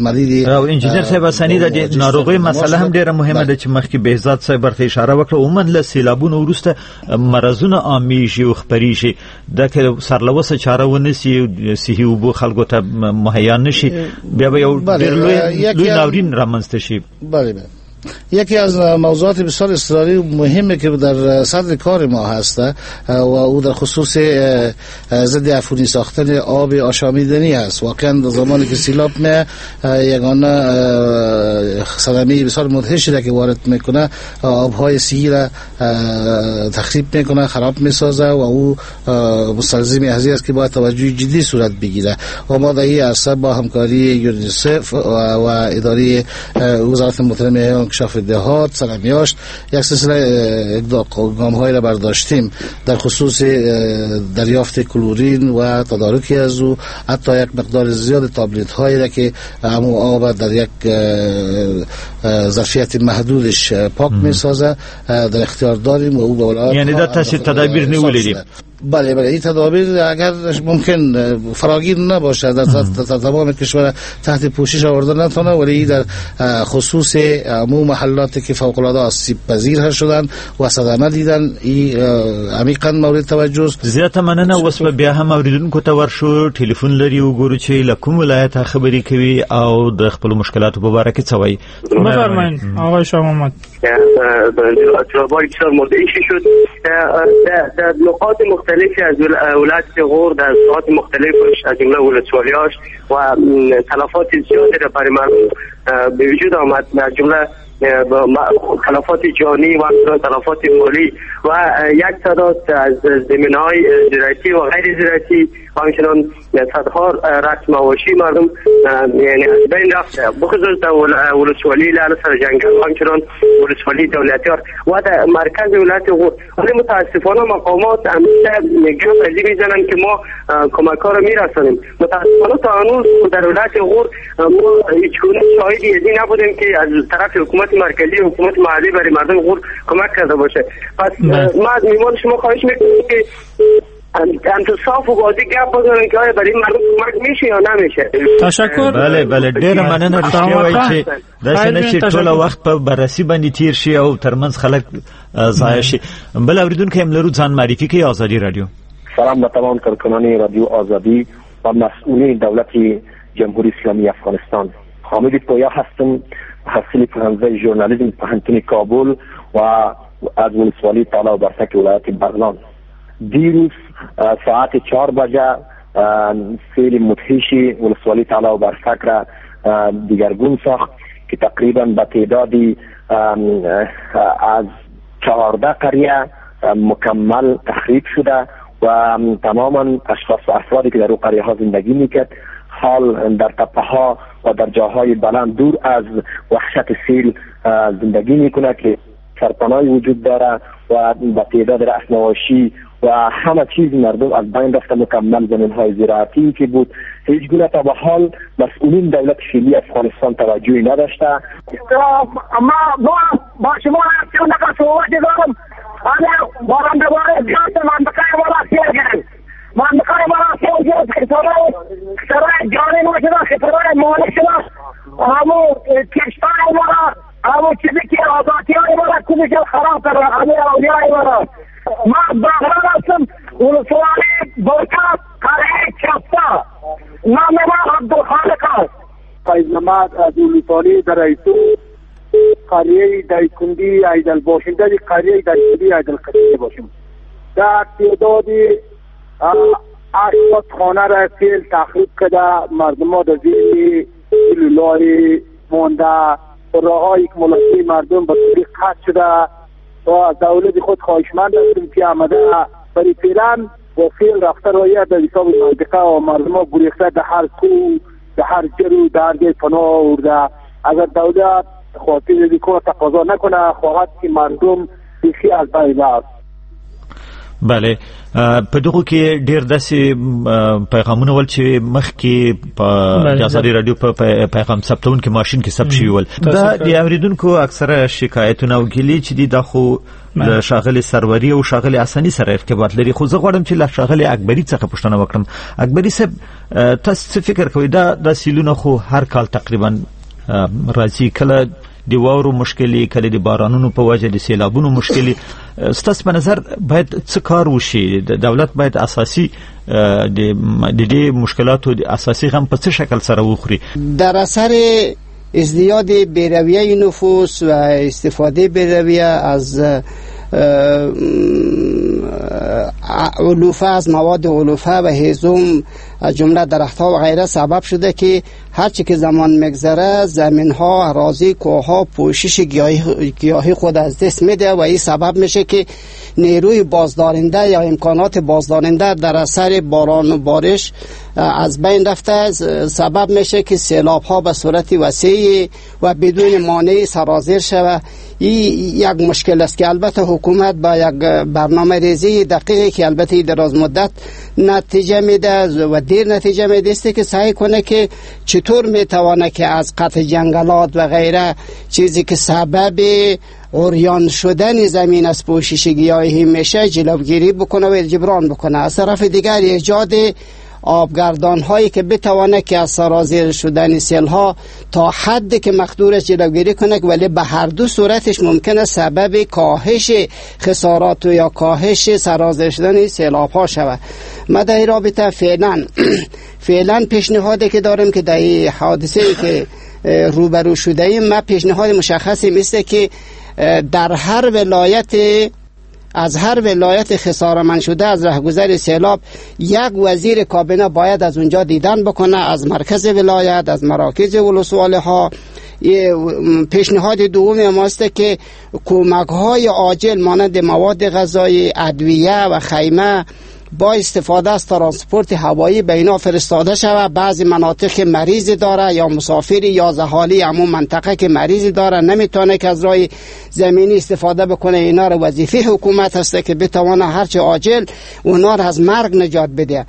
Speaker 6: مدیدی.
Speaker 4: انجینر صاحب حسنی د ناروغي مسله هم ډیره مهمه ده چې مخکې بهزاد صاحب ورته اشاره وکړه. عموما له سیلابونو وروسته مرضونه عامېږي او خپرېږي، دا که سر له اوسه چاره ونه سي، صحي اوبو خلکو ته مهیا نه شي، بیا به یو ډېر لوی لوی ناورین رامنځته شي.
Speaker 6: بله بله. یکی از موضوعات بسیار اصراری و مهمه که در صدر کار ما هست و او در خصوص ضد عفونی ساختن آب آشامیدنی است. واقعا در زمانی که سیلاب می یگانه صدمه بسیار مدهشی را که وارد میکنه، آبهای سیل را تخریب میکنه، خراب میسازه و او مستلزم از است که باید توجه جدی صورت بگیره. و ما در این عرصه با همکاری یونیسف و اداره وزارت محترم انکشاف دهات سرمیاشت یک سلسله گام‌های را برداشتیم در خصوص دریافت کلورین و تدارک از او، حتی یک مقدار زیاد تابلت هایی را که همو آب در یک ظرفیت محدودش پاک میسازه در اختیار داریم و او به ولایت
Speaker 4: یعنی در تاثیر تدابیر نیولې دي.
Speaker 6: بله بله، این تدابیر اگر ممکن فراگیر نباشه در تمام کشور تحت پوشش آورده نتونه، ولی در خصوص عموم محلات که فوق العاده آسیب پذیر شدن و صدمه دیدن ای عمیقا مورد توجه است.
Speaker 4: زیاته مننه. اوس به بیا هم اوریدونکو ته ورشو، ټلیفون لري وګورو چې له کوم ولایت خبرې کوي او د خپلو مشکلاتو په باره کې څه وایي.
Speaker 5: بفرمایئ آقای شاه محمد.
Speaker 16: بسیار مدهش شد در نقاط مختلفی از ولایت غور در ساعات مختلف از جمله ولسوالی‌هاش و تلفات زیادی را برای مردم به وجود آمد، از جمله تلفات جانی و تلفات مالی و یک تعداد از زمین‌های زراعتی و غیر زراعتی و همچنان صدها رأس مواشی مردم یعنی از بین رفت، بخصوص در ولسوالی لعل سرجنگل و همچنان ولسوالی دولتیار و در مرکز ولایت غور. ولی متاسفانه مقامات همیشه گپ از این میزنن که ما کمک ها رو میرسانیم. متاسفانه تا هنوز در ولایت غور ما هیچ گونه شاهدی از این نبودیم که از طرف حکومت مرکزی و حکومت محلی برای مردم غور کمک کرده باشه. پس ما از میمان شما خواهش میکنیم که انت صاف و واضح گپ بزنن که آیا برای مردم کمک میشه یا نمیشه.
Speaker 5: تشکر.
Speaker 4: بله بله، ډیره مننه. رښتیا وایي چې داسې نه چې ټوله وخت په بررسي باندې تیر شي او ترمنځ خلک ضایع شي. بل اوریدونکی هم لرو، ځان معرفي کوي. ازادي رادیو.
Speaker 17: سلام به تمام کارکنان رادیو آزادی و مسئولین دولت جمهوری اسلامی افغانستان. حامد پویا هستم، محصل پوهنځی ژورنالیسم پوهنتون کابل و از ولسوالی تالا و برسک ولایت بغلان. دیروز ساعت چهار بجه سیل مدهش ولسوالی تالا و برسک را دیگرگون ساخت که تقریبا به تعدادی از چهارده قریه مکمل تخریب شده و تماما اشخاص و افرادی که در او قریه ها زندگی میکرد حال در تپه ها و در جاهای بلند دور از وحشت سیل زندگی میکنه که سرپناهی وجود داره و با تعداد رأس مواشی و همه چیز مردم از بین رفته، مکمل زمین های زراعتی که بود. هیچ گونه تا به حال مسئولین دولت فعلی افغانستان توجهی نداشته.
Speaker 8: ما با شما نفر صحبت دارم، انا باران دوباره زیاد منطقه ما را سیل گرفت، منطقه ما را سیل گرفت، خسارای خسارای جانی ما شده، خسارای مالی شده، همو کشتای ما را، همو چیزی که آزادی های ما را کلش خراب کرده، همه اولیای ما را. ما بغران هستم، ولسوالی برکات، قریه چپا، نام ما عبدالخالق است.
Speaker 9: فیض محمد از ولسوالی درایتو، قریه دایکندی ایدل باشنده، قریه دایکندی ایدل قریه باشیم. در تعداد هشتاد خانه را سیل تخریب کرده، مردم ها در زیر لولای مانده، راه‌های که ملاقی مردم به طوری قطع شده و دولت خود خواهشمند هستیم که آمده برای فعلا و سیل رفته رایه در حساب منطقه و مردم ها گریخته در هر کو، در هر جرو، در هر جای پناه آورده. اگر دولت خاطر دیگه تقاضا نکنه، خواهد که مردم بیخی از بین رفت.
Speaker 4: بله، په دغو کې ډیر داسې پیغامونه ول چې مخکې په د ازادي رادیو په پیغام ثبتونکي ماشین کې ثبت شوي ول. دا د اوریدونکو اکثره شکایتونه او ګیلې چې دي دا خو له ښاغلي سروري او ښاغلي حسني سره ارتباط لري، خو زه غواړم چې له ښاغلي اکبري څخه پوښتنه وکړم. اکبري صاحب، تاسو څه فکر کوئ؟ دا دا سیلونه خو هر کال تقریبا راځي، کله د واورو مشکلې، کله د بارانونو په وجه د سیلابونو مشکلې. ستاسو په نظر باید څه کار وشي؟ د دولت باید اساسي د دې مشکلاتو د اساسي غم په څه شکل سره وخوري؟
Speaker 7: در اثر ازدیاد بیرویه نفوس و استفاده بیرویه از علوفه، از مواد علوفه و هیزم، از جمله درختها و غیره، سبب شده که هرچی که زمان میگذره زمینها، اراضی، کوهها پوشش گیاهی, گیاهی خود از دست میده و این سبب میشه که نیروی بازدارنده یا امکانات بازدارنده در اثر باران و بارش از بین رفته، سبب میشه که سیلاب ها به صورت وسیع و بدون مانع سرازیر شود. این یک مشکل است که البته حکومت با یک برنامه ریزی دقیقی که البته دراز مدت نتیجه میده و دیر نتیجه میده است که سعی کنه که چطور میتوانه که از قطع جنگلات و غیره، چیزی که سبب عریان شدن زمین از پوشش گیاهی میشه، جلوگیری بکنه و جبران بکنه. از طرف دیگر ایجاد آبگردان هایی که بتوانه که از سرازیر شدن سیل ها تا حد که مقدورش جلوگیری کنه، ولی به هر دو صورتش ممکنه سبب کاهش خسارات و یا کاهش سرازیر شدن سیلاب ها شود. ما در این رابطه فعلا فعلا پیشنهادی که داریم که در این حادثه ای که روبرو شده ایم، ما پیشنهاد مشخصی مثل که در هر ولایت، از هر ولایت خسارمند شده از رهگذر سیلاب، یک وزیر کابینه باید از اونجا دیدن بکنه، از مرکز ولایت، از مراکز ولسوالی ها. پیشنهاد دوم ماست که کمک های عاجل مانند مواد غذایی، ادویه و خیمه با استفاده از ترانسپورت هوایی به اینا فرستاده شود. بعضی مناطق که مریض داره یا مسافری یا زهالی همون منطقه که مریض داره نمیتونه که از راه زمینی استفاده بکنه، اینا رو وظیفه حکومت هست که بتوانه هرچه عاجل اونا رو از مرگ نجات بده.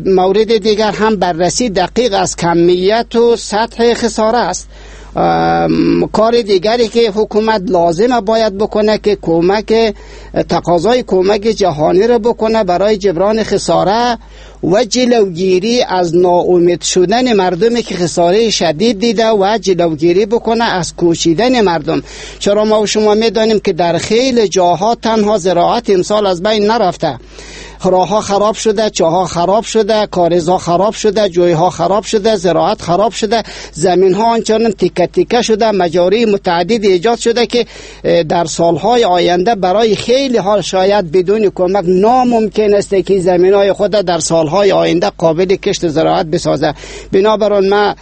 Speaker 7: مورد دیگر هم بررسی دقیق از کمیت و سطح خساره است. کار دیگری که حکومت لازمه باید بکنه که کمک، تقاضای کمک جهانی رو بکنه برای جبران خساره و جلوگیری از ناامید شدن مردمی که خساره شدید دیده و جلوگیری بکنه از کوچیدن مردم. چرا ما و شما میدانیم که در خیلی جاها تنها زراعت امسال از بین نرفته، راه‌ها خراب شده، چاها خراب شده، کاریزها خراب شده، جویها خراب شده، زراعت خراب شده، زمین‌ها آنچنان تیکه تیکه شده، مجاری متعدد ایجاد شده که در سالهای آینده برای خیلی ها شاید بدون کمک ناممکن است که زمین‌های خود در سالهای آینده قابل کشت زراعت بسازه. بنابراین ما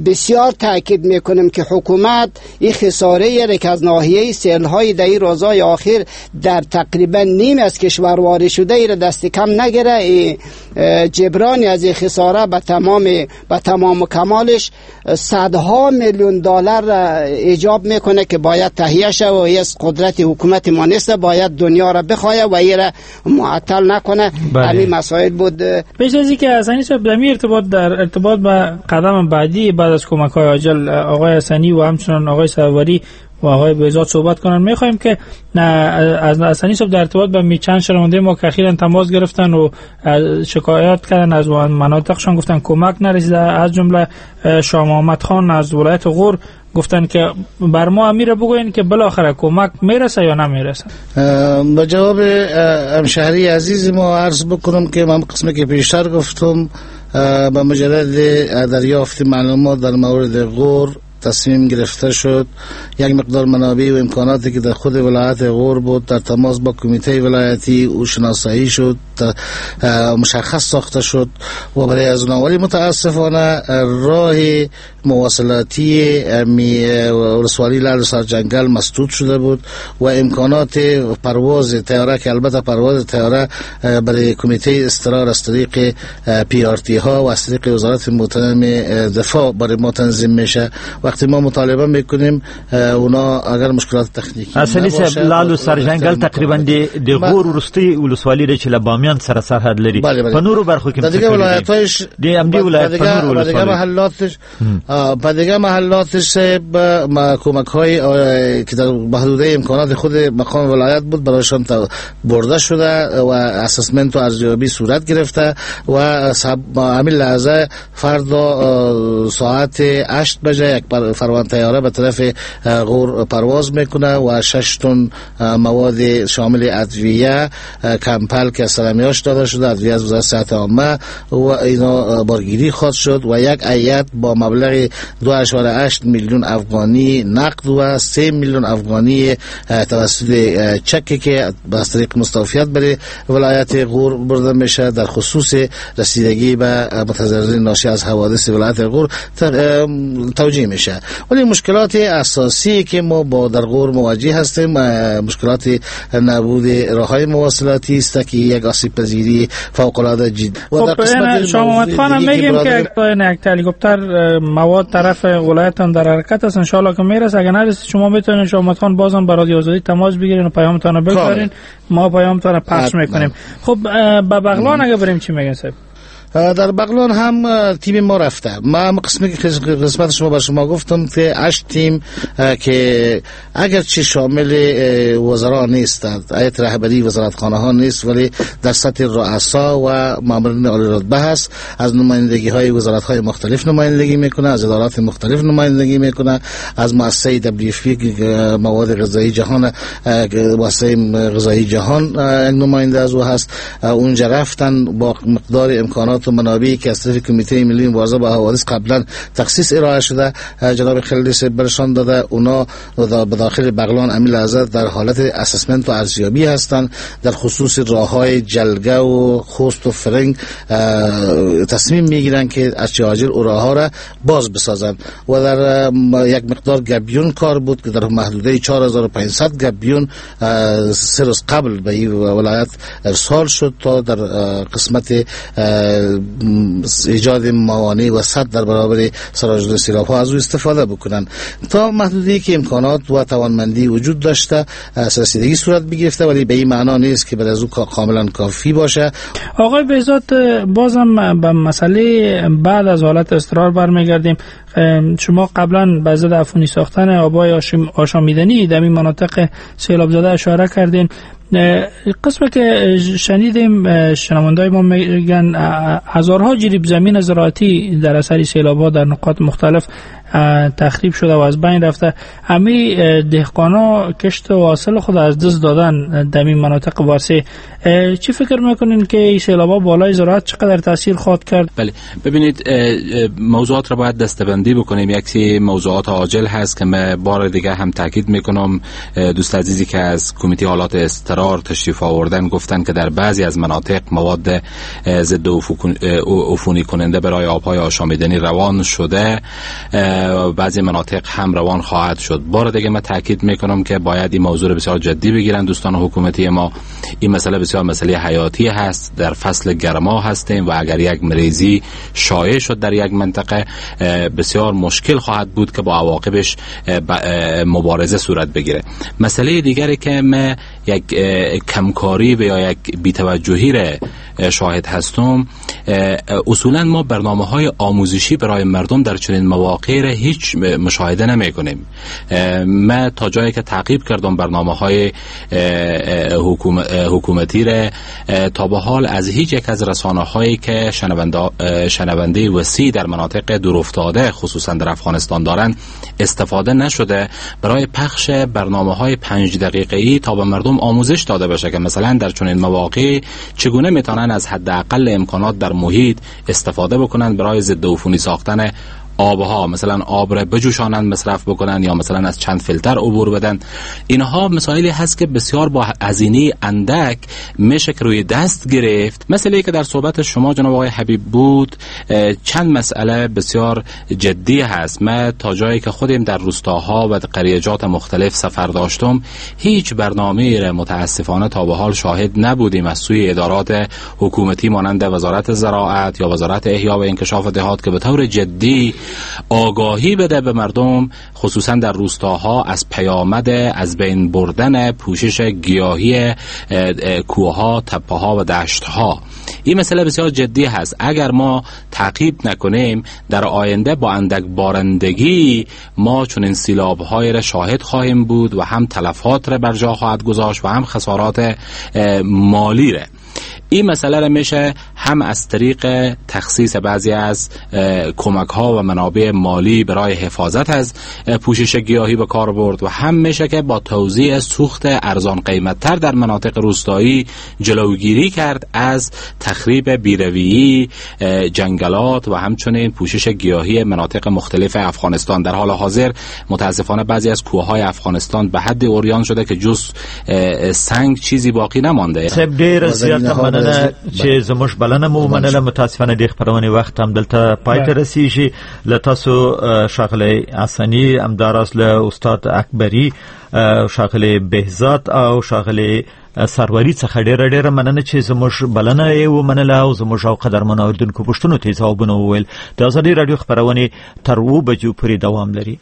Speaker 7: بسیار تاکید میکنیم که حکومت این خساره که از ناحیه سیل‌های در این روزهای آخر در تقریبا نیم از کشور وارد شده ای را دست کم نگیره، جبران از این خساره به تمام به تمام و کمالش صدها میلیون دلار ایجاب میکنه که باید تهیه شه و از قدرت حکومت ما نیست، باید دنیا را بخواه و این را معطل نکنه. همین مسائل بود.
Speaker 5: پیش از اینکه حسنی صاحب در ارتباط در ارتباط با قدم بعدی بعد از کمک های عاجل آقای حسنی و همچنان آقای سروری و آقای بهزاد صحبت کنن، میخوایم که از حسنی صاحب در ارتباط با چند شنونده ما که اخیراً تماس گرفتن و شکایت کردن از مناطقشان، گفتن کمک نرسیده، از جمله شاه محمد خان از ولایت غور، گفتن که بر ما امیر بگوین که بالاخره کمک میرسه یا نمیرسه.
Speaker 6: با جواب همشهری عزیز ما عرض بکنم که من قسمی که پیشتر گفتم، به مجرد دریافت معلومات در مورد غور تصمیم گرفته شد یک مقدار منابع و امکاناتی که در خود ولایت غور بود در تماس با کمیته ولایتی او شناسایی شد، مشخص ساخته شد و برای از اونها. ولی متاسفانه راه مواصلاتی ولسوالی لعل سرجنگل مسدود شده بود و امکانات پرواز طیاره که البته پرواز طیاره برای کمیته اضطرار از طریق پی آر تی ها و از طریق وزارت محترم دفاع برای ما تنظیم میشه. وقتی ما مطالبه میکنیم اونا اگر مشکلات تکنیکی
Speaker 4: اصلي صاحب لالو سرجنګل تقریبا د غور وروستۍ ولسوالي ده چې له بامیان سره سرحد لري، په نورو برخو کې
Speaker 6: د دیگه ولایت‌هایش
Speaker 4: د همدې ولایت په نورو
Speaker 6: ولسوالیو محلاتش په دیگه محلاتش کمک های که در محدوده امکانات خود مقام ولایت بود برایشان برده شده و اسسمنت و ارزیابی صورت گرفته و همین لحظه فردا ساعت هشت بجه یک فروان طیاره به طرف غور پرواز میکنه و شش تن مواد شامل ادویه، کمپل که سرمیاش داده شده، ادویه از وزارت صحت عامه و اینا بارگیری خواهد شد و یک هیئت با مبلغ دو اعشاریه هشت میلیون افغانی نقد و سه میلیون افغانی توسط چکی که از طریق مستوفیت برای ولایت غور برده میشه در خصوص رسیدگی به متضررین ناشی از حوادث ولایت غور توجیه میشه. ولی مشکلات اساسی که ما با در غور مواجه هستیم مشکلات نبود راه‌های مواصلاتی است که یک آسیب پذیری فوق العاده جدی
Speaker 5: و در قسمت شاه محمد خان هم میگیم که یک هلیکوپتر مواد طرف ولایت هم در حرکت است، ان شاء الله که میرسه. اگر نرسید شما میتونید شاه محمد خان بازم برای آزادی تماس بگیرین و پیامتون رو بگذارین، ما پیامتون رو پخش میکنیم. خب به بغلان اگه بریم چی میگن صاحب؟
Speaker 6: در بغلان هم تیم ما رفته. ما قسمی که قسمت شما بر شما گفتم که هشت تیم که اگرچه شامل وزرا نیستند، هیئت رهبری وزارتخانه ها نیست، ولی در سطح رؤسا و مامورین عالی رتبه هست، از نمایندگی های وزارت های مختلف نمایندگی میکنه، از ادارات مختلف نمایندگی میکنه، از مؤسسه دبلیو اف پی مواد غذایی جهان، مؤسسه غذایی جهان نماینده از او هست. اونجا رفتن با مقدار امکانات و منابعی که از طرف کمیته ملی مبارزه با حوادث قبلا تخصیص ارائه شده جناب خلیل برشان داده، اونا به داخل بغلان امیل لحظه در حالت اسسمنت و ارزیابی هستند. در خصوص راه‌های جلگه و خوست و فرنگ تصمیم میگیرن که از چه عاجل او راه‌ها را باز بسازند و در یک مقدار گبیون کار بود که در محدوده چهار هزار و پانصد گبیون سه روز قبل به این ولایت ارسال شد تا در قسمت ایجاد موانع و سد در برابر سراج سیلاب ها از او استفاده بکنن. تا محدودی که امکانات و توانمندی وجود داشته رسیدگی صورت بگرفته، ولی به این معنا نیست که بر از او کاملا کافی باشه.
Speaker 5: آقای بهزاد، بازم به مسئله بعد از حالت اضطرار برمیگردیم. شما قبلا به ضد عفونی ساختن آبای آشامیدنی در این مناطق سیلاب زده اشاره کردین. قسمی که شنیدیم شنوندای ما میگن هزارها جریب زمین زراعتی در اثر سیلاب‌ها در نقاط مختلف تخریب شده و از بین رفته. همی دهقانا کشت و حاصل خود از دست دادن در این مناطق واسه. چی فکر میکنین که این سیلاب‌ها بالای زراعت چقدر تاثیر خواهد کرد؟
Speaker 12: بله، ببینید موضوعات را باید دسته‌بندی بکنیم. یکی موضوعات عاجل هست که من بار دیگه هم تاکید میکنم، دوست عزیزی که از کمیته حالات اضطرار تشریف آوردن گفتن که در بعضی از مناطق مواد ضد عفونی کننده برای آبهای آشامیدنی روان شده. بعضی مناطق هم روان خواهد شد. بار دیگه من تاکید میکنم که باید این موضوع رو بسیار جدی بگیرن دوستان حکومتی ما. این مسئله بسیار مسئله حیاتی هست، در فصل گرما هستیم و اگر یک مریضی شایع شد در یک منطقه بسیار مشکل خواهد بود که با عواقبش مبارزه صورت بگیره. مسئله دیگری که من یک کمکاری و یا یک بی‌توجهی را شاهد هستم، اصولا ما برنامه‌های آموزشی برای مردم در چنین مواقع را هیچ مشاهده نمی‌کنیم. من تا جایی که تعقیب کردم برنامه‌های حکومتی را، تا به حال از هیچ یک از رسانه‌هایی که شنونده شنونده وسیع در مناطق دورافتاده خصوصا در افغانستان دارند استفاده نشده برای پخش برنامه‌های پنج دقیقه‌ای تا به مردم آموزش داده بشه که مثلا در چنین مواقع چگونه میتونن از حداقل امکانات در محیط استفاده بکنن برای ضد عفونی ساختن آبها، مثلا آب را بجوشانند مصرف بکنن یا مثلا از چند فیلتر عبور بدن. اینها مسائلی هست که بسیار با هزینه اندک میشه که روی دست گرفت. مسئله که در صحبت شما جناب آقای حبیب بود، چند مسئله بسیار جدی هست. من تا جایی که خودم در روستاها و قریه‌جات مختلف سفر داشتم هیچ برنامه‌ای را متاسفانه تا به حال شاهد نبودیم از سوی ادارات حکومتی مانند وزارت زراعت یا وزارت احیا و انکشاف دهات که به طور جدی آگاهی بده به مردم خصوصا در روستاها از پیامد از بین بردن پوشش گیاهی کوه‌ها، تپه‌ها و دشت‌ها. این مسئله بسیار جدی هست. اگر ما تعقیب نکنیم در آینده با اندک بارندگی ما چنین سیلاب‌های را شاهد خواهیم بود و هم تلفات را بر جا خواهد گذاشت و هم خسارات مالی را. این مسئله را میشه هم از طریق تخصیص بعضی از کمک ها و منابع مالی برای حفاظت از پوشش گیاهی به کار برد و هم میشه که با توزیع سوخت ارزان قیمت تر در مناطق روستایی جلوگیری کرد از تخریب بیرویی جنگلات و همچنین پوشش گیاهی مناطق مختلف افغانستان. در حال حاضر متاسفانه بعضی از کوههای افغانستان به حد عریان شده که جز سنگ چیزی باقی نمانده.
Speaker 4: مننه چې زموږ بلنه مو ومنله. متاسفانه د خپرونې وخت هم دلته پای ته رسیږي. له تاسو ښاغلی حسني، همداراز له استاد اکبري، ښاغلی بهزاد او ښاغلی سروري څخه ډېره ډېره مننه چې زموږ بلنه یې ومنله او زموږ او قدرمنو اورېدونکو پوښتنو ته یې ځوابونه وویل. د ازادي راډیو خپرونې تر اوو بجو پورې دوام لري.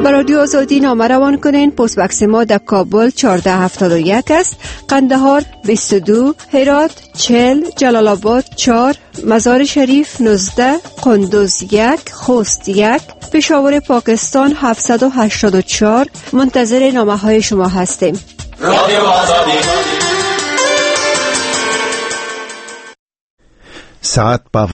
Speaker 18: به رادیو آزادی نامه روان کنین. پست بکس ما در کابل چهارده هفتاد و یک است، قندهار بیست و دو، هرات چهل، جلال آباد چهار، مزار شریف نوزده، قندوز یک، خوست یک، پشاور پاکستان هفتصد و هشتاد و چهار. منتظر نامه های شما هستیم.
Speaker 19: رادیو آزادی.
Speaker 2: ساعت